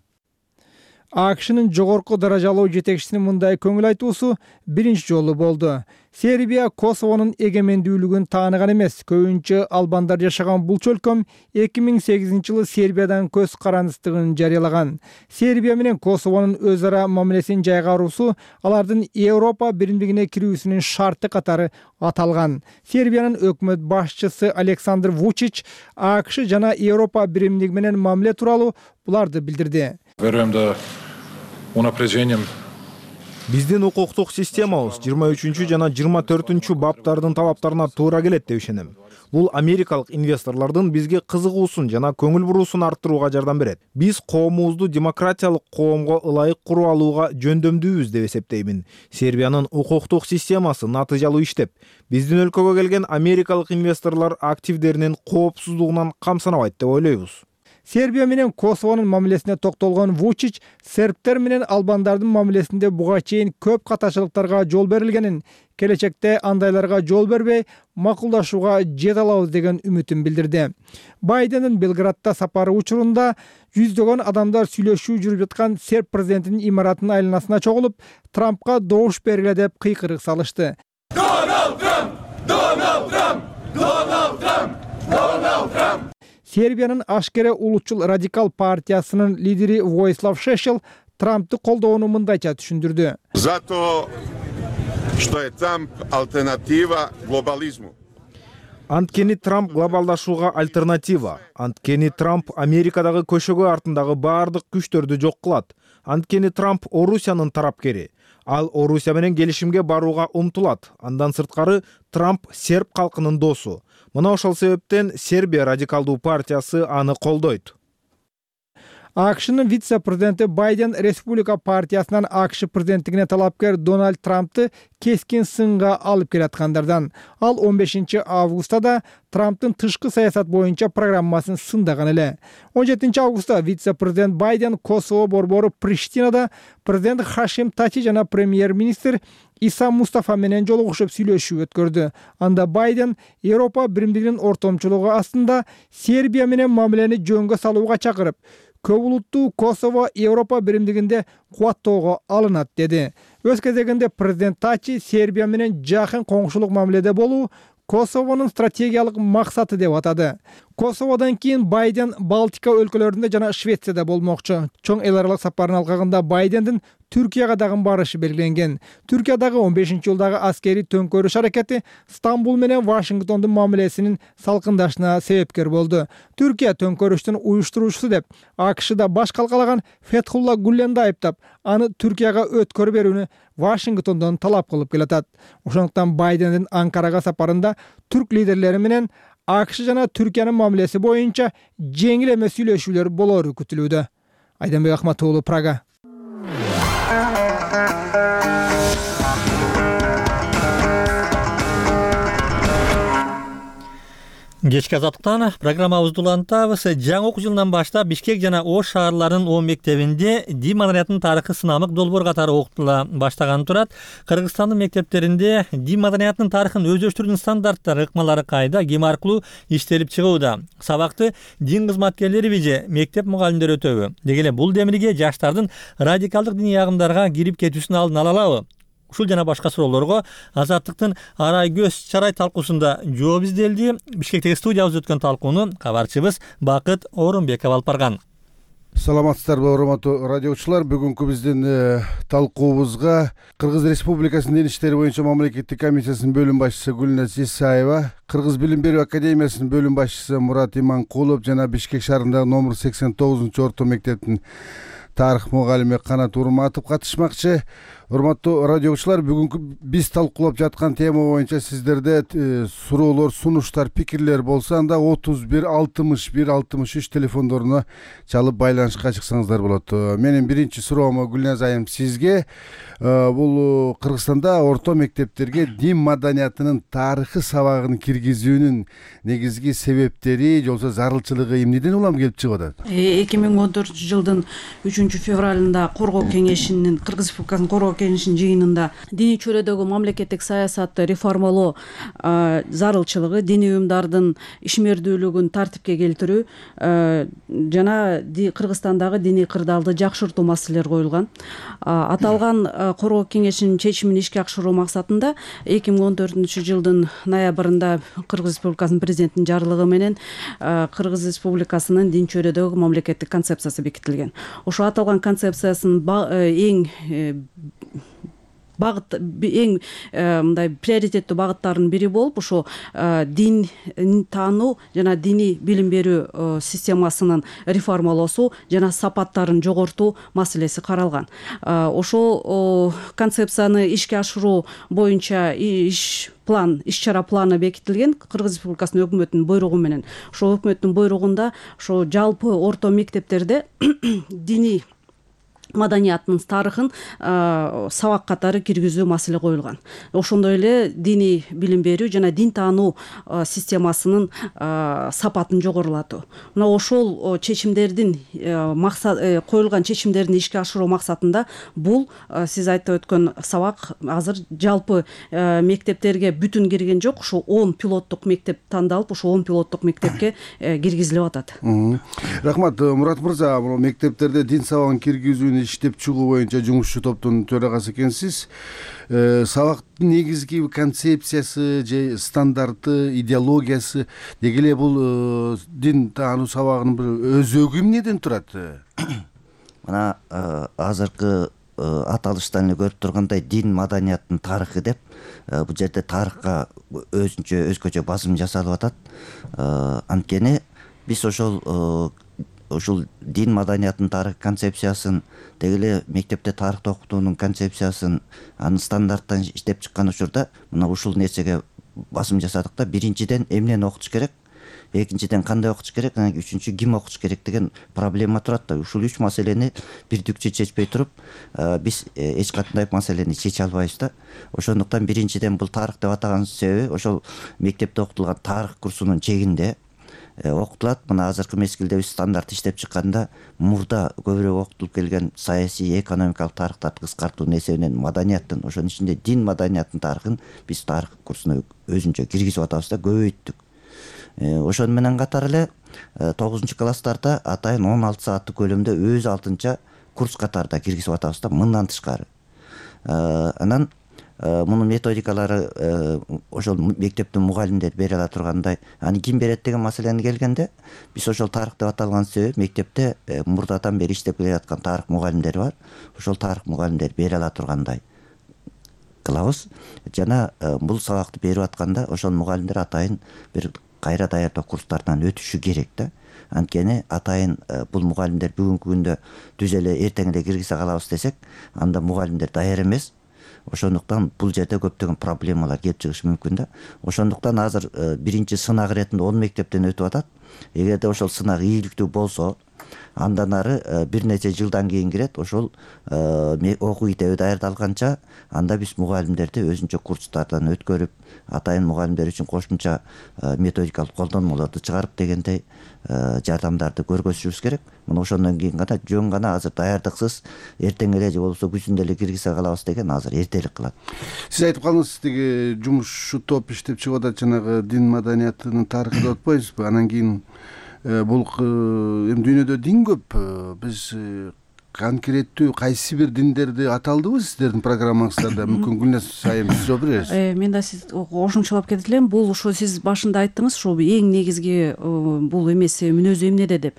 АКШнын жогорку даражалуу жетекчисинин мындай көңүл айтуусу биринчи жолу болду. Сербия Косовонун эгемендүүлүгүн тааныган эмес. Көбүнчө албандар жашаган бул чөлкөм эки миң сегизинчи жылы Сербиядан көз карандыстыгын жарыялаган. Сербия менен Косовонун өз ара мамилесин жайгаруусу алардын Европа биримдигине кирүүсүнүн шарты катары аталган. Сербиянын өкмөт башчысы Александр Вучич АКШ жана Европа биримдиги менен мамиле тууралуу буларды билдирди. Веруем да унапрежением биздин укуктук системабыз жыйырма үчүнчү жана жыйырма төртүнчү баптардын талаптарына туура келет деп ишенем. Бул америкалык инвесторлордун бизге кызыгуусун жана көңүл буруусун арттырууга жардам берет. Биз коомубузду демократиялык коомго ылайык куруп алууга жөндөмдүүбүз деп эсептеймин. Сербиянын укуктук системасы натыйжалуу иштеп, биздин өлкөгө келген америкалык инвесторлор активдеринин коопсуздугунан камсынабайт деп ойлойбуз. Сербия менен Косовонун мамилесине токтолгон Вучич сербтер менен албандардын мамилесинде буга чейин көп катачылыктарга жол берилгенин, келечекте андайларга жол бербей макулдашууга жете алабыз деген үмүтүн билдирди. Байдендин Белградта сапары учурунда жүздөгөн адамдар сүйлөшүү жүрүп жаткан серб президентинин имаратынын айланасына чогулуп, Трампка добуш бергиле деп кыйкырык салышты. Дональд Трамп! Дональд Трамп! Дональд Трамп! Дональд Трамп! Сербиянын ашкере улутчул радикал партиясынын лидери Воислав Шешел Трампты колдоону мындайча түшүндүрдү. Зато что е Трамп альтернатива глобализму. Анткени Трамп глобалдашууга альтернатива. Анткени Трамп Америкадагы көшөгө артындагы баардык күчтөрдү жок кылат. Анткени Трамп Орусиянын тарапкери. Ал Орусия менен келишимге барууга умтулат. Андан сырткары Трамп серб калкынын досу. Мына ошол себептен Сербия радикалдуу партиясы аны колдойт. АКШнын вице-президенти Байден Республика партиясынан АКШ президенттигине талапкер Дональд Трампты кескин сынга алып келаткандардан. Ал он бешинчи августта Трамптын тышкы саясат боюнча программасын сындаган эле. он жетинчи августта вице-президент Байден Косово борбору Приштинада президент Хашим Тачи жана премьер-министр Иса Мустафа менен жолугушуп сүйлөшүү өткөрдү. Анда Байден Европа биримдигинин ортомчулугу астында Сербия менен мамилени жөнгө салууга чакырып, көп улуттуу Косово Европа биримдигинде кубаттоого алынат деди. Өз кезегинде президент Тачи Сербия менен жакын коңшулук мамиледе болуу Косовонун стратегиялык максаты деп атады. Косоводон кийин Байден Балтика өлкөлөрүндө жана Швецияда болмокчу. Чоң эл аралык сапарынын алкагында Байдендин Түркияга дагы барышы белгиленген. Түркиядагы он бешинчи жылдагы аскерий төңкөрүш аракети Стамбул менен Вашингтондун мамилесинин салкындашына себепкер болду. Түркия төңкөрүштүн уюштуруучусу деп АКШда баш калкалаган Фетхулла Гүленди айыптап, аны Түркияга өткөрүп берүүнү Вашингтондон талап кылып келатат. Ошондуктан Байдендин Анкарага сапарында түрк лидерлери менен АКШ жана Түркиянын мамилеси боюнча жеңил эмес сүйлөшүүлөр болору күтүлүүдө. Айданбек Акматуулу, Прага. Кечки азаттыктан программабызды улантабыз. Жаңы окуу жылынан баштап Бишкек жана Ош шаарларынын он мектебинде дин маданиятынын тарыхы сынамык долбоор катары окутула баштаганы турат. Кыргызстандын мектептеринде дин маданиятынын тарыхын өздөштүрүүнүн стандарттары, ыкмалары кайда, ким аркылуу иштелип чыгууда? Сабакты дин кызматкерлериби же мектеп мугалимдери өтөбү? Деги эле бул демилге жаштардын радикалдык диний агымдарга кирип кетүүсүн алдын ала алабы? Ушул жана башка суроолорго Азаттыктын Арай көз чарай талкуусунда жооп изделди. Бишкектеги студиябызда өткөн талкууну кабарчыбыз Бакыт Орунбеков алып барган. Саламатсыздарбы, урматтуу радиочулар. Бүгүнкү биздин талкуубузга Кыргыз Республикасынын Дин иштери боюнча мамлекеттик комиссиясынын бөлүм башчысы Гүлназ Исаева, Кыргыз билим берүү академиясынын бөлүм башчысы Мурат Иманкулов жана Бишкек шаарындагы номер сексен тогузунчу орто мектептин тарых мугалими Канат Урматов катышмакчы. Урматтуу радиочулар, бүгүнкү биз талкуулап жаткан тема боюнча сиздерде суроолор, сунуштар, пикирлер болсо, анда отуз бир алтымыш бир алтымыш үч телефондоруна чалып байланышка чыксаңыздар болот. Менин биринчи суроом Гүлназ айым сизге. Бул Кыргызстанда орто мектептерге дин маданиятынын тарыхы сабагын киргизүүнүн негизги себептери, жолсо зарылчылыгы эмнеден улам келип чыгып атат? эки миң он төртүнчү жылдын үчүнчү февралында Коргоо кеңешинин Кыргыз Республикасынын Коргоо кеңешинин жыйынында диний чөйрөдөгү мамлекеттик саясатты реформалоо зарылчылыгы, диний уюмдардын ишмердүүлүгүн тартипке келтирүү жана Кыргызстандагы диний кырдаалды жакшыртуу маселелери коюлган. Аталган Коргоо кеңешинин чечимин ишке ашыруу максатында эки миң он төртүнчү жылдын ноябрында Кыргыз Республикасынын президентинин жарлыгы менен Кыргыз Республикасынын дин чөйрөдөгү мамлекеттик концепциясы бекитилген. Ошо аталган концепциясынын эң багыт эң мындай приоритеттүү багыттарынын бири болуп, ошо дин таануу жана диний билим берүү системасынын реформалоосу жана сапаттарын жогортуу маселеси каралган. Ошол концепцияны ишке ашыруу боюнча иш план, иш-чара планы бекитилген Кыргыз Республикасынын өкмөтүнүн буйругу менен. Ошо өкмөттүн буйругунда ошо жалпы орто мектептерде диний маданияттын тарыхын сабак катары киргизүү маселе коюлган. Ошондой эле диний билим берүү жана дин таануу системасынын сапатын жогорулатуу. Мына ошол чечимдердин максат коюлган чечимдерди ишке ашыруу максатында бул сиз айтып өткөн сабак азыр жалпы мектептерге бүтүн кирген жок. Ошо он пилоттук мектеп тандалып, ошо он пилоттук мектепке киргизилип атат. Рахмат, Мурат мырза. Бул мектептерде дин сабагын киргизүүнү иштеп чыгуу боюнча жумушчу топтун төрагасы экенсиз. Сабактын негизги концепциясы же стандарты, идеологиясы деги эле бул дин таануу сабагынын бир өзөгү эмнеден турат? Мына азыркы аталыштан эле көрүп тургандай дин маданияттын тарыхы деп бул жерде тарыхка өзүнчө өзгөчө басым жасалып атат. Анткени биз ошол ушул дин маданиятынын тарых концепциясын, деги эле мектепте тарыхты окутуунун концепциясын, анын стандарттарын иштеп чыккан учурда мына ушул нерсеге басым жасадык да, биринчиден эмнени окутуш керек, экинчиден кандай окутуш керек, анан кийин үчүнчү ким окутуш керек деген проблема турат да. Ушул үч маселени бирдикче чечпей туруп, биз эч кандай маселени чече албайбыз да. Ошондуктан биринчиден бул тарых деп атаган себеби ошол мектепте окутулган тарых курсунун чегинде окутулат. Мына азыркы мезгилде биз стандарт иштеп чыкканда мурда көбүрөөк окутулуп келген саясий, экономикалык тарыхтарды кыскартуунун эсебинен маданияттын, ошонун ичинде дин маданиятынын тарыхын биз тарых курсуна өзүнчө киргизип атабыз да, көбөйттүк. Ошону менен катар эле тогузунчу класстарда атайын он алты сааттык көлөмдө өз алтынча курс катарда киргизип атабыз да, мындан тышкары. Анан мунун методикалары ошол мектептин мугалимдери бере ала тургандай. Аны ким берет деген маселени келгенде, биз ошол тарых деп аталган себеп мектепте мурдадан бери иштеп келе жаткан тарых мугалимдери бар. Ошол тарых мугалимдери бере ала тургандай кылабыз. Жана бул сабакты берип атканда ошол мугалимдер атайын бир кайра даярдоо курстарынан өтүшү керек да. Анткени атайын бул мугалимдер бүгүнкү күндө түз эле эртең эле киргизе калабыз десек, анда мугалимдер даяр эмес. Ошондуктан бул жерде көптөгөн проблемалар келип чыгышы мүмкүн да. Ошондуктан азыр биринчи сынак иретинде он мектептен өтүп атат. Эгерде ошол сынак ийгиликтүү болсо, андан ары бир нече жылдан кийин кирет. Ошол окуу китеби даярдалганча анда биз мугалимдерди өзүнчө курстардан өткөрүп, атайын мугалимдер үчүн кошумча методикалык колдонмолорду чыгарып дегендей жардамдарды көргөзүшүбүз керек. Мына ошондон кийин гана жөн гана азыр даярдыксыз эртең эле же болбосо күзүндө эле киргизе калабыз деген азыр эртерээк кылат. Сиз айтып калдыңыз, тиги жумушчу топ иштеп чыгып атат, жанагы дин маданиятынын тарыхы деп атпайбызбы? Анан кийин бул эми дүйнөдө дин көп. Биз конкреттүү кайсы бир диндерди аталдыбы сиздердин программаңыздарда? Мүмкүн Гүлназ айым сиз жооп бересиз. Мен да сиз кошумчалап кетет элем. Бул ошо сиз башында айттыңыз, ошол эң негизги бул эмес мүнөзү эмнеде деп.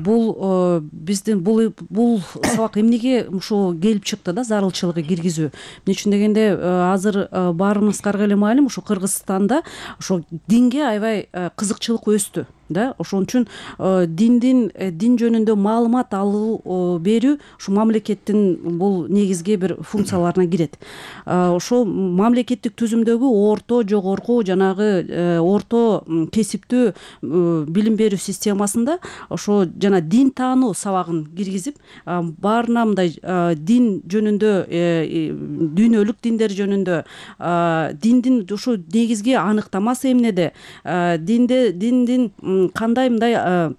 Бул биздин бул бул сабак эмнеге ошо келип чыкты да, зарылчылыгы киргизүү. Эмне үчүн дегенде азыр баарыбызга эле маалым, ошо Кыргызстанда ошо динге аябай кызыкчылык өстү да. Ошон үчүн диндин дин жөнүндө маалымат алуу берүү ушу мамлекеттин бул негизги бир функцияларына кирет. Ошол мамлекеттик түзүмдөгү орто, жогорку, жанагы орто кесиптүү билим берүү системасында ошо жана дин таануу сабагын киргизип, баарына мындай дин жөнүндө, дүйнөлүк диндер жөнүндө, диндин ушу негизги аныктамасы эмнеде, динде диндин кандай мындай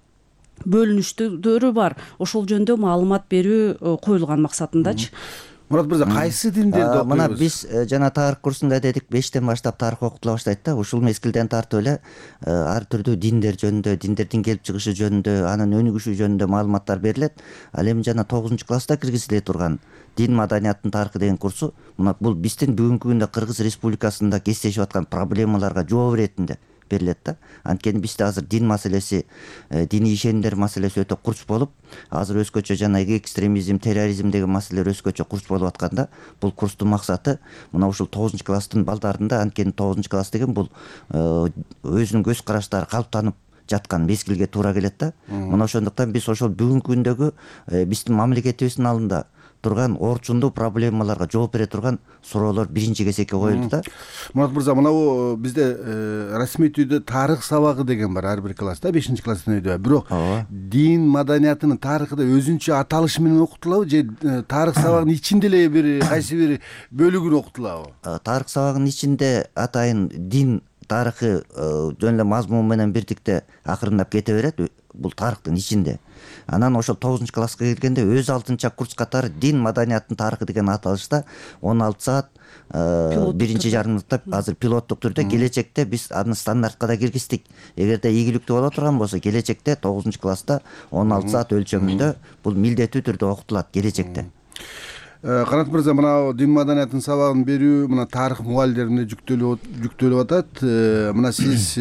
бөлүнүштөрү бар, ошол жөнүндө маалымат берүү коюлган максатындачы. Мурат мырза, кайсы диндерди окуйбуз? Мына биз жана тарых курсунда дедик, бештен баштап тарых окутула баштайт да. Ушул мезгилден тартып эле ар түрдүү диндер жөнүндө, диндердин келип чыгышы жөнүндө, анын өнүгүшү жөнүндө маалыматтар берилет. Ал эми жана тогузунчу класста киргизиле турган дин маданиятынын тарыхы деген курсу, мына бул биздин бүгүнкү күндө Кыргыз Республикасында кездешип аткан проблемаларга жооп иретинде берилет да. Анткени бизде азыр дин маселеси, диний ишенимдер маселеси өтө курч болуп, азыр өзгөчө жана экстремизм, терроризм деген маселелер өзгөчө курч болуп атканда, бул курстун максаты мына ушул тогузунчу класстын балдарында, анткени тогузунчу класс деген бул өзүнүн көз караштары калыптанып жаткан мезгилге туура келет да. Мына ошондуктан биз ошол бүгүнкү күндөгү биздин мамлекетибиздин алдында турган орчундуу проблемаларга жооп бере турган суроолор биринчи кезекке коюлду да. Мурат мырза, мына бизде расмий түрдө тарых сабагы деген бар ар бир класста, бешинчи класстын өйдө. Бирок дин маданиятынын тарыхы да өзүнчө аталышы менен окутулабы же тарых сабагынын ичинде эле бир кайсы бир бөлүгүн окутулабы? Тарых сабагынын ичинде атайын дин тарыхы жөн эле мазмун менен бирдикте акырындап кете берет, бул тарыхтын ичинде. Анан ошол тогузунчу класска келгенде өз алтынча курс катары дин маданиятынын тарыхы деген аталышта он алты саат биринчи жарымдыкта азыр пилоттук түрдө, келечекте биз аны стандартка да киргиздик. Эгерде ийгиликтүү боло турган болсо, келечекте тогузунчу класста он алты саат өлчөмүндө бул милдеттүү түрдө окутулат келечекте. Канат мырза, мына дин маданиятынын сабагын берүү мына тарых мугалимдерине жүктөлүп жүктөлүп атат. Мына сиз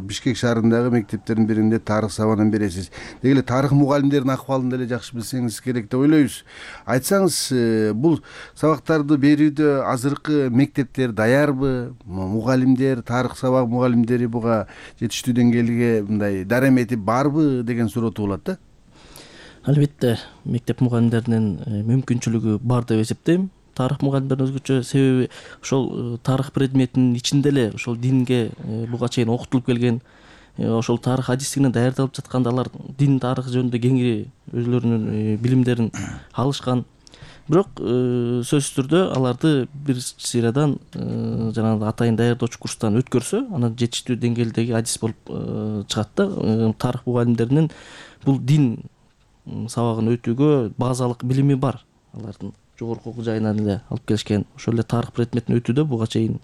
Бишкек шаарындагы мектептердин биринде тарых сабагын бересиз. Деги эле тарых мугалимдеринин акыбалын деле жакшы билсеңиз керек деп ойлойбуз. Айтсаңыз, бул сабактарды берүүдө азыркы мектептер даярбы? Мугалимдер, тарых сабак мугалимдери буга жетиштүү деңгээлге мындай дарамети барбы деген суроо туулат да. Албетте мектеп мугалимдеринин мүмкүнчүлүгү бар деп эсептейм. тарых мугалимдерин өзгөчө, себеби ошол тарых предметинин ичинде эле ошол динге буга чейин окутулуп келген, ошол тарых адистигинен даярдалып жатканда алар дин тарыхы жөнүндө кеңири өзлөрүнүн билимдерин алышкан. Бирок сөзсүз түрдө аларды бир сыйрадан жанагы атайын даярдоочу курстан өткөрсө, анан жетиштүү деңгээлдеги адис болуп чыгат да. Тарых мугалимдеринин бул дин сабагын өтүүгө базалык билими бар. Алардын жогорку окуу жайынан эле алып келишкен. Ошол эле тарых предметин өтүүдө буга чейин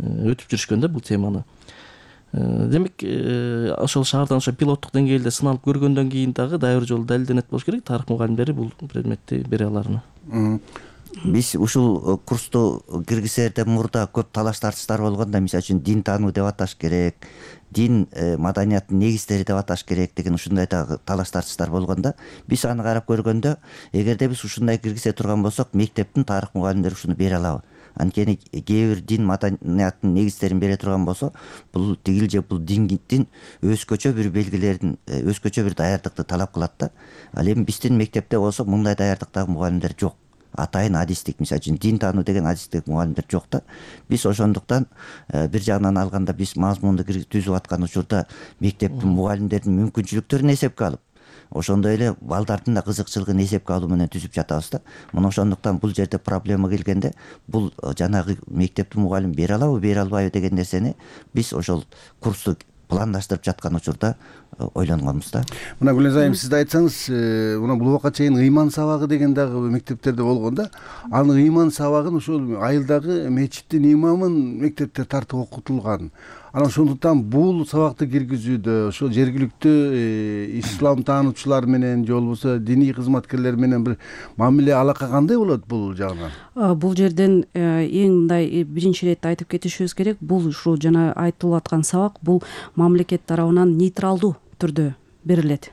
өтүп жүрүшкөн да бул теманы. Демек, ошол шаардан ошо пилоттук деңгээлде сыналып көргөндөн кийин дагы дайыр жолу далилденет болуш керек, тарых мугалимдери бул предметти бере аларына. Биз ушул курсту киргизерден мурда көп талаш тартыштар болгон да, мисалы үчүн дин таануу деп аташ керек, дин маданияттын негиздери деп аташ керек деген ушундай дагы талаш тартыштар болгон да. Биз аны карап көргөндө, эгерде биз ушундай киргизе турган болсок, мектептин тарых мугалимдери ушуну бере алабы? Анткени кээ бир дин маданияттын негиздерин бере турган болсо, бул тигил же бул диндин өзгөчө бир белгилерин, өзгөчө бир даярдыкты талап кылат да. Ал эми биздин мектепте болсо мындай даярдыктагы мугалимдер жок. Атайын адистик, мисалы үчүн дин таануу деген адистик мугалимдер жок да. Биз ошондуктан бир жагынан алганда биз мазмунду түзүп аткан учурда мектептин мугалимдердин мүмкүнчүлүктөрүн эсепке алып, ошондой эле балдардын да кызыкчылыгын эсепке алуу менен түзүп жатабыз да. Мына ошондуктан бул жерде проблема келгенде, бул жанагы мектептин мугалим бере алабы, бере албайбы деген нерсени биз ошол курсту пландаштырып жаткан учурда ойлонгонбуз да. Мына Гүлназ айым, сиз да айтсаңыз, мына бул убакка чейин ыйман сабагы деген дагы мектептерде болгон да. Анын ыйман сабагын ошол айылдагы мечиттин имамын мектепте тартып окутулган. Анан ошондуктан бул сабакты киргизүүдө ошол жергиликтүү ислам таануучулар менен же болбосо диний кызматкерлер менен бир мамиле алака кандай болот бул жагынан? Бул жерден эң мындай биринчи ирет айтып кетишибиз керек, бул ушул жана айтылып аткан сабак бул мамлекет тарабынан нейтралдуу түрдө берилет.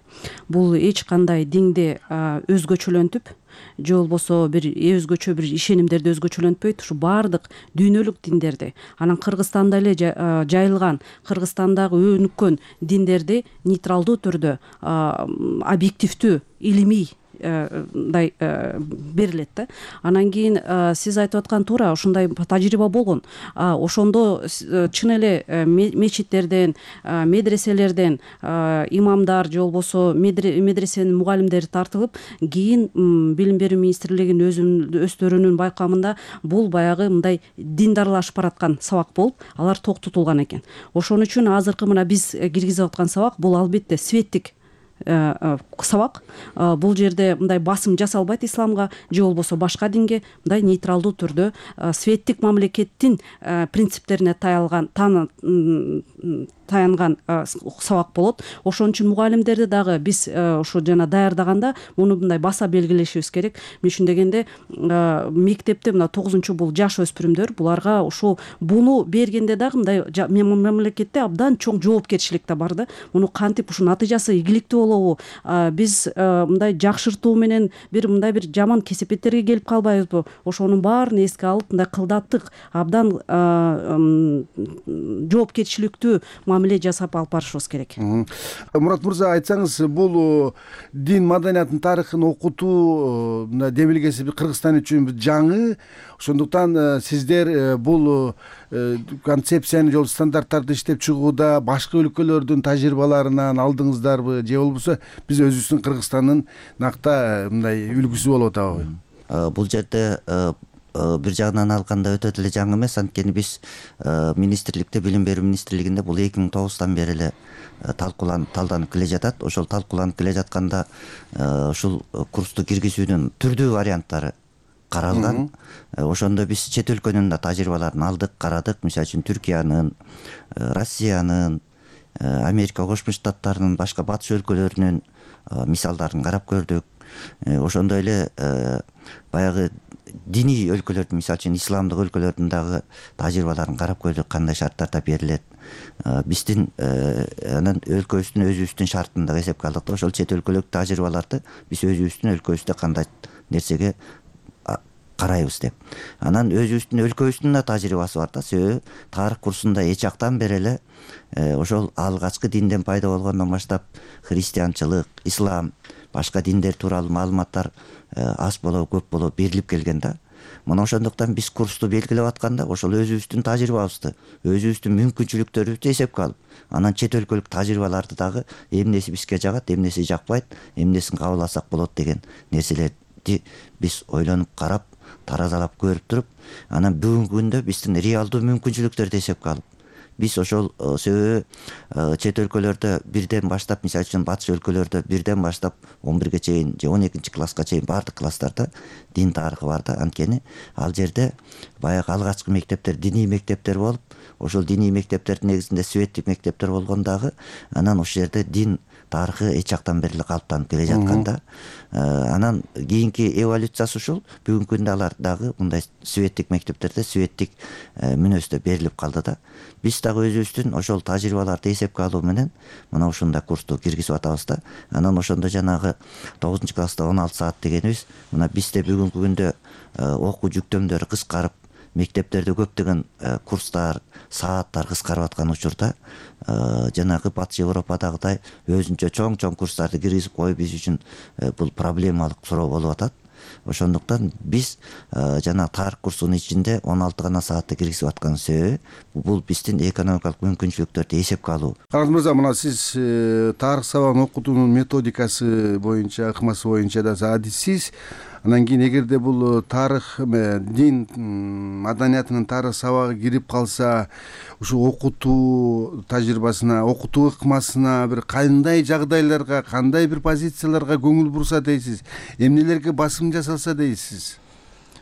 Бул эч кандай динди өзгөчөлөнтүп же болбосо бир өзгөчө бир ишенимдерди өзгөчөлөнтпөйт, ушу баардык дүйнөлүк диндерди, анан Кыргызстанда эле жайылган, Кыргызстандагы өнүккөн диндерди нейтралдуу түрдө объективдүү илимий мындай берилет да. Анан кийин сиз айтып аткан туура ушундай тажрыйба болгон. Ошондо чын эле мечиттерден, медреселерден имамдар же болбосо медресенин мугалимдери тартылып, кийин билим берүү министрлигинин өздөрүнүн байкамында бул баягы мындай диндарлашып бараткан сабак болуп, алар токтотулган экен. Ошон үчүн азыркы мына биз киргизип аткан сабак бул албетте светтик сабак. Бул жерде мындай басым жасалбайт исламга же болбосо башка динге, мындай нейтралдуу түрдө светтик мамлекеттин принциптерине таялган таянган сабак болот. Ошон үчүн мугалимдерди дагы биз ушу жана даярдаганда муну мындай баса белгилешибиз керек. Мен үчүн дегенде мектепте мына тогузунчу бул жаш өспүрүмдөр, буларга ушул буну бергенде дагы мындай мамлекетте абдан чоң жоопкерчилик да бар да. Муну кантип ушунун натыйжасы ийгиликтүү болобу? Биз мындай жакшыртуу менен бир мындай бир жаман кесепеттерге келип калбайбызбы? Ошонун баарын эске алып, мындай кылдаттык, абдан жоопкерчиликтүү мамиле жасап алып барышыбыз керек. Мурат мырза, айтсаңыз, бул дин маданиятынын тарыхын окутуу мына демилгеси Кыргызстан үчүн жаңы. Ошондуктан сиздер бул концепцияны жол стандарттарды иштеп чыгууда башка өлкөлөрдүн тажрыйбаларынан алдыңыздарбы же болбосо биз өзүбүздүн Кыргызстандын накта мындай үлгүсү болуп атабы? Бул жерде бир жагынан алганда өтө деле жаңы эмес, анткени биз министрликте, билим берүү министрлигинде бул эки миң тогуздан бери эле талкууланып, талданып келе жатат. Ошол талкууланып келе жатканда ушул курсту киргизүүнүн түрдүү варианттары каралган. Ошондо биз чет өлкөнүн да тажрыйбаларын алдык, карадык. Мисалы үчүн Түркиянын, Россиянын, Америка Кошмо Штаттарынын, башка батыш өлкөлөрүнүн мисалдарын карап көрдүк. Ошондой эле баягы диний өлкөлөрдүн, мисалы үчүн исламдык өлкөлөрдүн дагы тажрыйбаларын карап көрдүк, кандай шарттарда берилет. Биздин анан өлкөбүздүн өзүбүздүн шартын да эсепке алдык. Ошол чет өлкөлүк тажрыйбаларды биз өзүбүздүн өлкөбүздө кандай нерсеге карайбыз деп. Анан өзүбүздүн өлкөбүздүн да тажрыйбасы бар да. Себеби тарых курсунда эч жактан бери эле ошол алгачкы динден пайда болгондон баштап христианчылык, ислам, башка диндер тууралуу маалыматтар аз болобу, көп болобу берилип келген да. мына ошондуктан биз курсту белгилеп атканда ошол өзүбүздүн тажрыйбабызды, өзүбүздүн мүмкүнчүлүктөрүбүздү эсепке алып, анан чет өлкөлүк тажрыйбаларды дагы эмнеси бизге жагат, эмнеси жакпайт, эмнесин кабыл алсак болот деген нерселерди биз ойлонуп карап, таразалап көрүп туруп, анан бүгүнкү күндө биздин реалдуу мүмкүнчүлүктөрдү эсепке алып, биз ошол себеби чет өлкөлөрдө бирден баштап, мисалы үчүн батыш өлкөлөрдө бирден баштап он бирге чейин же он экинчи класска чейин баардык класстарда дин тарыхы бар да. Анткени ал жерде баягы алгачкы мектептер диний мектептер болуп, ошол диний мектептердин негизинде светтик мектептер болгон дагы, анан ошол жерде дин тарыхы эч жактан бери эле калыптанып келе жаткан да. Анан кийинки эволюциясы ушул. Бүгүнкү күндө алар дагы мындай светтик мектептерде светтик мүнөздө берилип калды да. Биз дагы өзүбүздүн ошол тажрыйбаларды эсепке алуу менен мына ушундай курсту киргизип атабыз да. Анан ошондо жанагы тогузунчу класста он алты саат дегенибиз, мына бизде бүгүнкү күндө окуу жүктөмдөрү кыскарып, мектептерде көптөгөн курстар, сааттар кыскарып аткан учурда жанагы батыш Европадагыдай өзүнчө чоң-чоң курстарды киргизип коюу биз үчүн бул проблемалык суроо болуп атат. Ошондуктан биз жана тарых курсунун ичинде он алты гана саатты киргизип аткан себеби бул биздин экономикалык мүмкүнчүлүктөрдү эсепке алуу. Караган мырза, мына сиз тарых сабагын окутуунун методикасы боюнча, ыкмасы боюнча да адиссиз. Анан кийин эгерде бул тарых, дин маданиятынын тарых сабагы кирип калса, ушу окутуу тажрыйбасына, окутуу ыкмасына бир кандай жагдайларга, кандай бир позицияларга көңүл бурса дейсиз, эмнелерге басым жасалса дейсиз?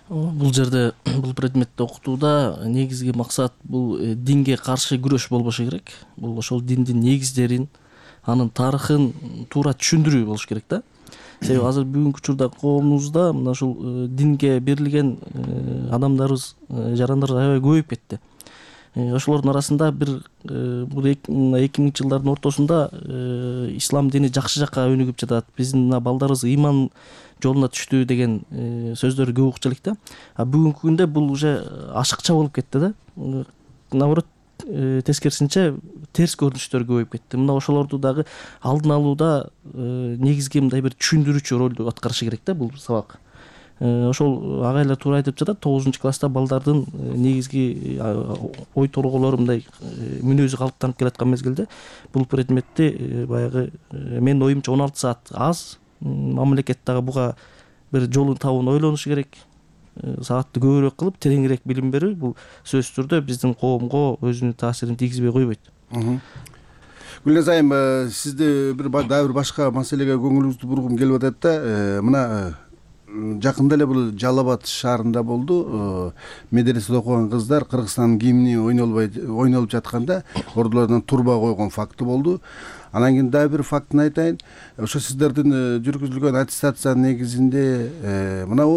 Бул жерде бул предметти окутууда негизги максат бул динге каршы күрөш болбошу керек. Бул ошол диндин негиздерин, анын тарыхын туура түшүндүрүү болуш керек да. Себеби азыр бүгүнкү учурда коомубузда мына ушул динге берилген адамдарыбыз, жарандар аябай көбөйүп кетти. Ошолордун арасында бир бул эки миңинчи жылдардын ортосунда ислам дини жакшы жакка өнүгүп жатат, биздин мына балдарыбыз ыйман жолуна түштү деген сөздөр көп укчу элек да. А бүгүнкү күндө бул уже ашыкча болуп кетти да. Наоборот, тескерисинче терс көрүнүштөр көбөйүп кетти. Мына ошолорду дагы алдын алууда негизги мындай бир түшүндүрүүчү ролду аткарышы керек да бул сабак. Ошол агайлар туура айтып жатат, тогузунчу класста балдардын негизги ой торголору мындай мүнөзү калыптанып келаткан мезгилде бул предметти баягы менин оюмча он алты саат аз. Мамлекет дагы буга бир жолун табууну ойлонушу керек. Саатты көбүрөөк кылып, тереңирээк билим берүү бул сөзсүз түрдө биздин коомго өзүнүн таасирин тийгизбей койбойт. Гүлназ айым, сизди бир дагы бир башка маселеге көңүлүңүздү бургум келип атат да. Мына жакында эле бул Жалал Абад шаарында болду. Медреседе окуган кыздар Кыргызстандын гимни ойнолуп жатканда ордулардан турба койгон факты болду. Анан кийин дагы бир фактын айтайын. Ошо сиздердин жүргүзүлгөн аттестациянын негизинде мына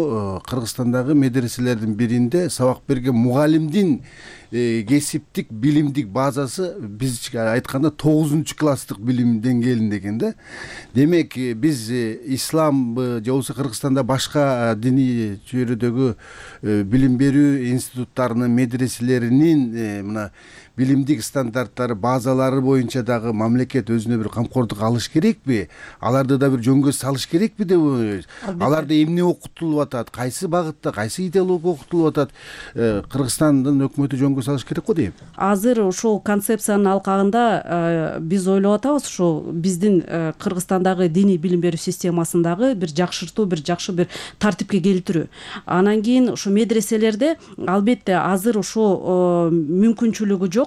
Кыргызстандагы медреселердин биринде сабак берген мугалимдин кесиптик билимдик базасы бизче айтканда тогузунчу класстык билим деңгээлинде экен да. Демек биз исламбы же болбосо Кыргызстанда башка диний чөйрөдөгү билим берүү институттарынын медреселеринин мына билимдик стандарттары, базалары боюнча дагы мамлекет өзүнө бир камкордук алыш керекпи? Аларды да бир жөнгө салыш керекпи деп ойлойсуз? Аларда эмне окутулуп атат? Кайсы багытта, кайсы идеология окутулуп атат? Кыргызстандын өкмөтү жөнгө салыш керек го дейм. Азыр ушул концепциянын алкагында биз ойлоп атабыз, ушул биздин Кыргызстандагы диний билим берүү системасындагы бир жакшыртуу, бир жакшы бир тартипке келтирүү. Анан кийин ушу медреселерде албетте азыр ушу мүмкүнчүлүгү жок.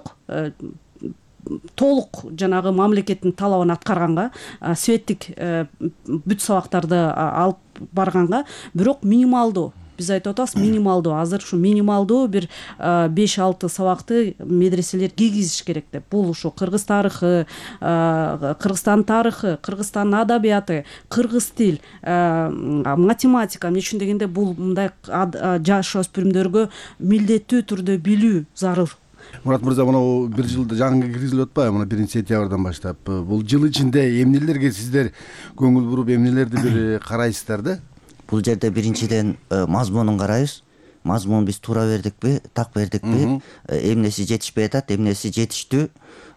Толук жанагы мамлекеттин талабын аткарганга, светтик бүт сабактарды алып барганга, бирок минималдуу, биз айтып атабыз, минималдуу, азыр ушу минималдуу бир беш алты сабакты медреселер киргизиш керек деп. Бул ушу кыргыз тарыхы, Кыргызстан тарыхы, Кыргызстан адабияты, кыргыз тил, математика, эмне үчүн дегенде бул мындай жаш өспүрүмдөргө милдеттүү түрдө билүү зарыл. Мурат мырза, мына бир жылда жаңы киргизилип атпайбы? Мына биринчи сентябрдан баштап бул жыл ичинде эмнелерге сиздер көңүл буруп, эмнелерди бир карайсыздар да? Бул жерде биринчиден мазмунун карайбыз. Мазмун биз туура бердикпи, так бердикпи, эмнеси жетишпей атат, эмнеси жетиштүү,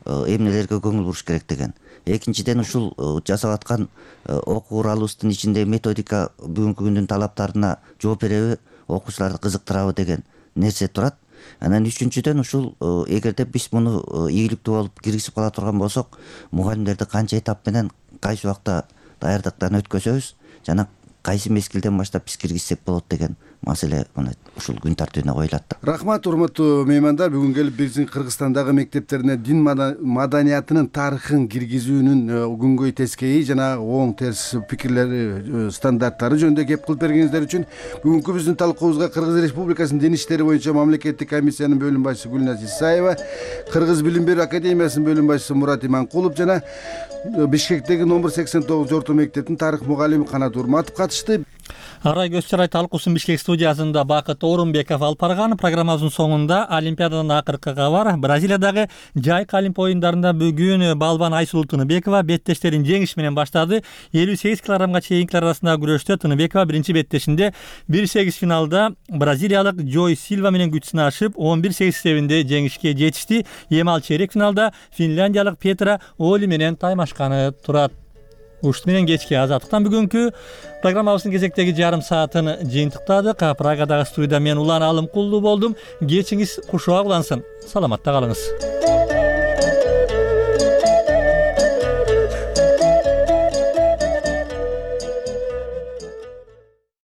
эмнелерге көңүл буруш керек деген. Экинчиден ушул жасап аткан окуу куралыбыздын ичинде методика бүгүнкү күндүн талаптарына жооп береби, окуучуларды кызыктырабы деген нерсе турат. Анан үчүнчүдөн ушул эгерде биз муну ийгиликтүү болуп киргизип кала турган болсок, мугалимдерди канча этап менен кайсы убакта даярдыктан өткөзөбүз жана кайсы мезгилден баштап биз киргизсек болот деген маселе мына ушул күн тартибине коюлат. Рахмат, урматтуу меймандар. Бүгүн келип биздин Кыргызстандагы мектептерине дин маданиятынын тарыхын киргизүүнүн күнгөй тескейи жана оң терс пикирлери, стандарттары жөнүндө кеп кылып бергениңиздер үчүн бүгүнкү биздин талкуубузга Кыргыз Республикасынын Дин иштери боюнча мамлекеттик комиссиянын бөлүм башчысы Гүлназ Исаева, Кыргыз билим берүү академиясынын бөлүм башчысы Мурат Иманкулов жана Бишкектеги номер сексен тогуз орто мектептин тарых мугалими Канат Урматов катышты. Арай көз чарай талкуусун Бишкек студиясында Бакыт Орунбеков алып барган. Программабыздын соңунда Олимпиададан акыркы кабар. Бразилиядагы жайкы олимп оюндарында бүгүн балбан Айсулуу Тыныбекова беттештерин жеңиш менен баштады. элүү сегиз килограммга чейинкилер арасындагы күрөштө Тыныбекова биринчи беттешинде бир сегиз финалда бразилиялык Джой Силва менен күч сынашып он бир сегиз эсебинде жеңишке жетишти. Эми ал чейрек финалда финляндиялык Петра Оли менен таймашканы турат. Ушт менен кечки азаттыктан бүгүнкү программабыздын кезектеги жарым саатын жыйынтыктадык. Прагадагы студияда мен Улан Алымкулдуу болдум. Кечиңиз кушуак улансын. Саламатта калыңыз.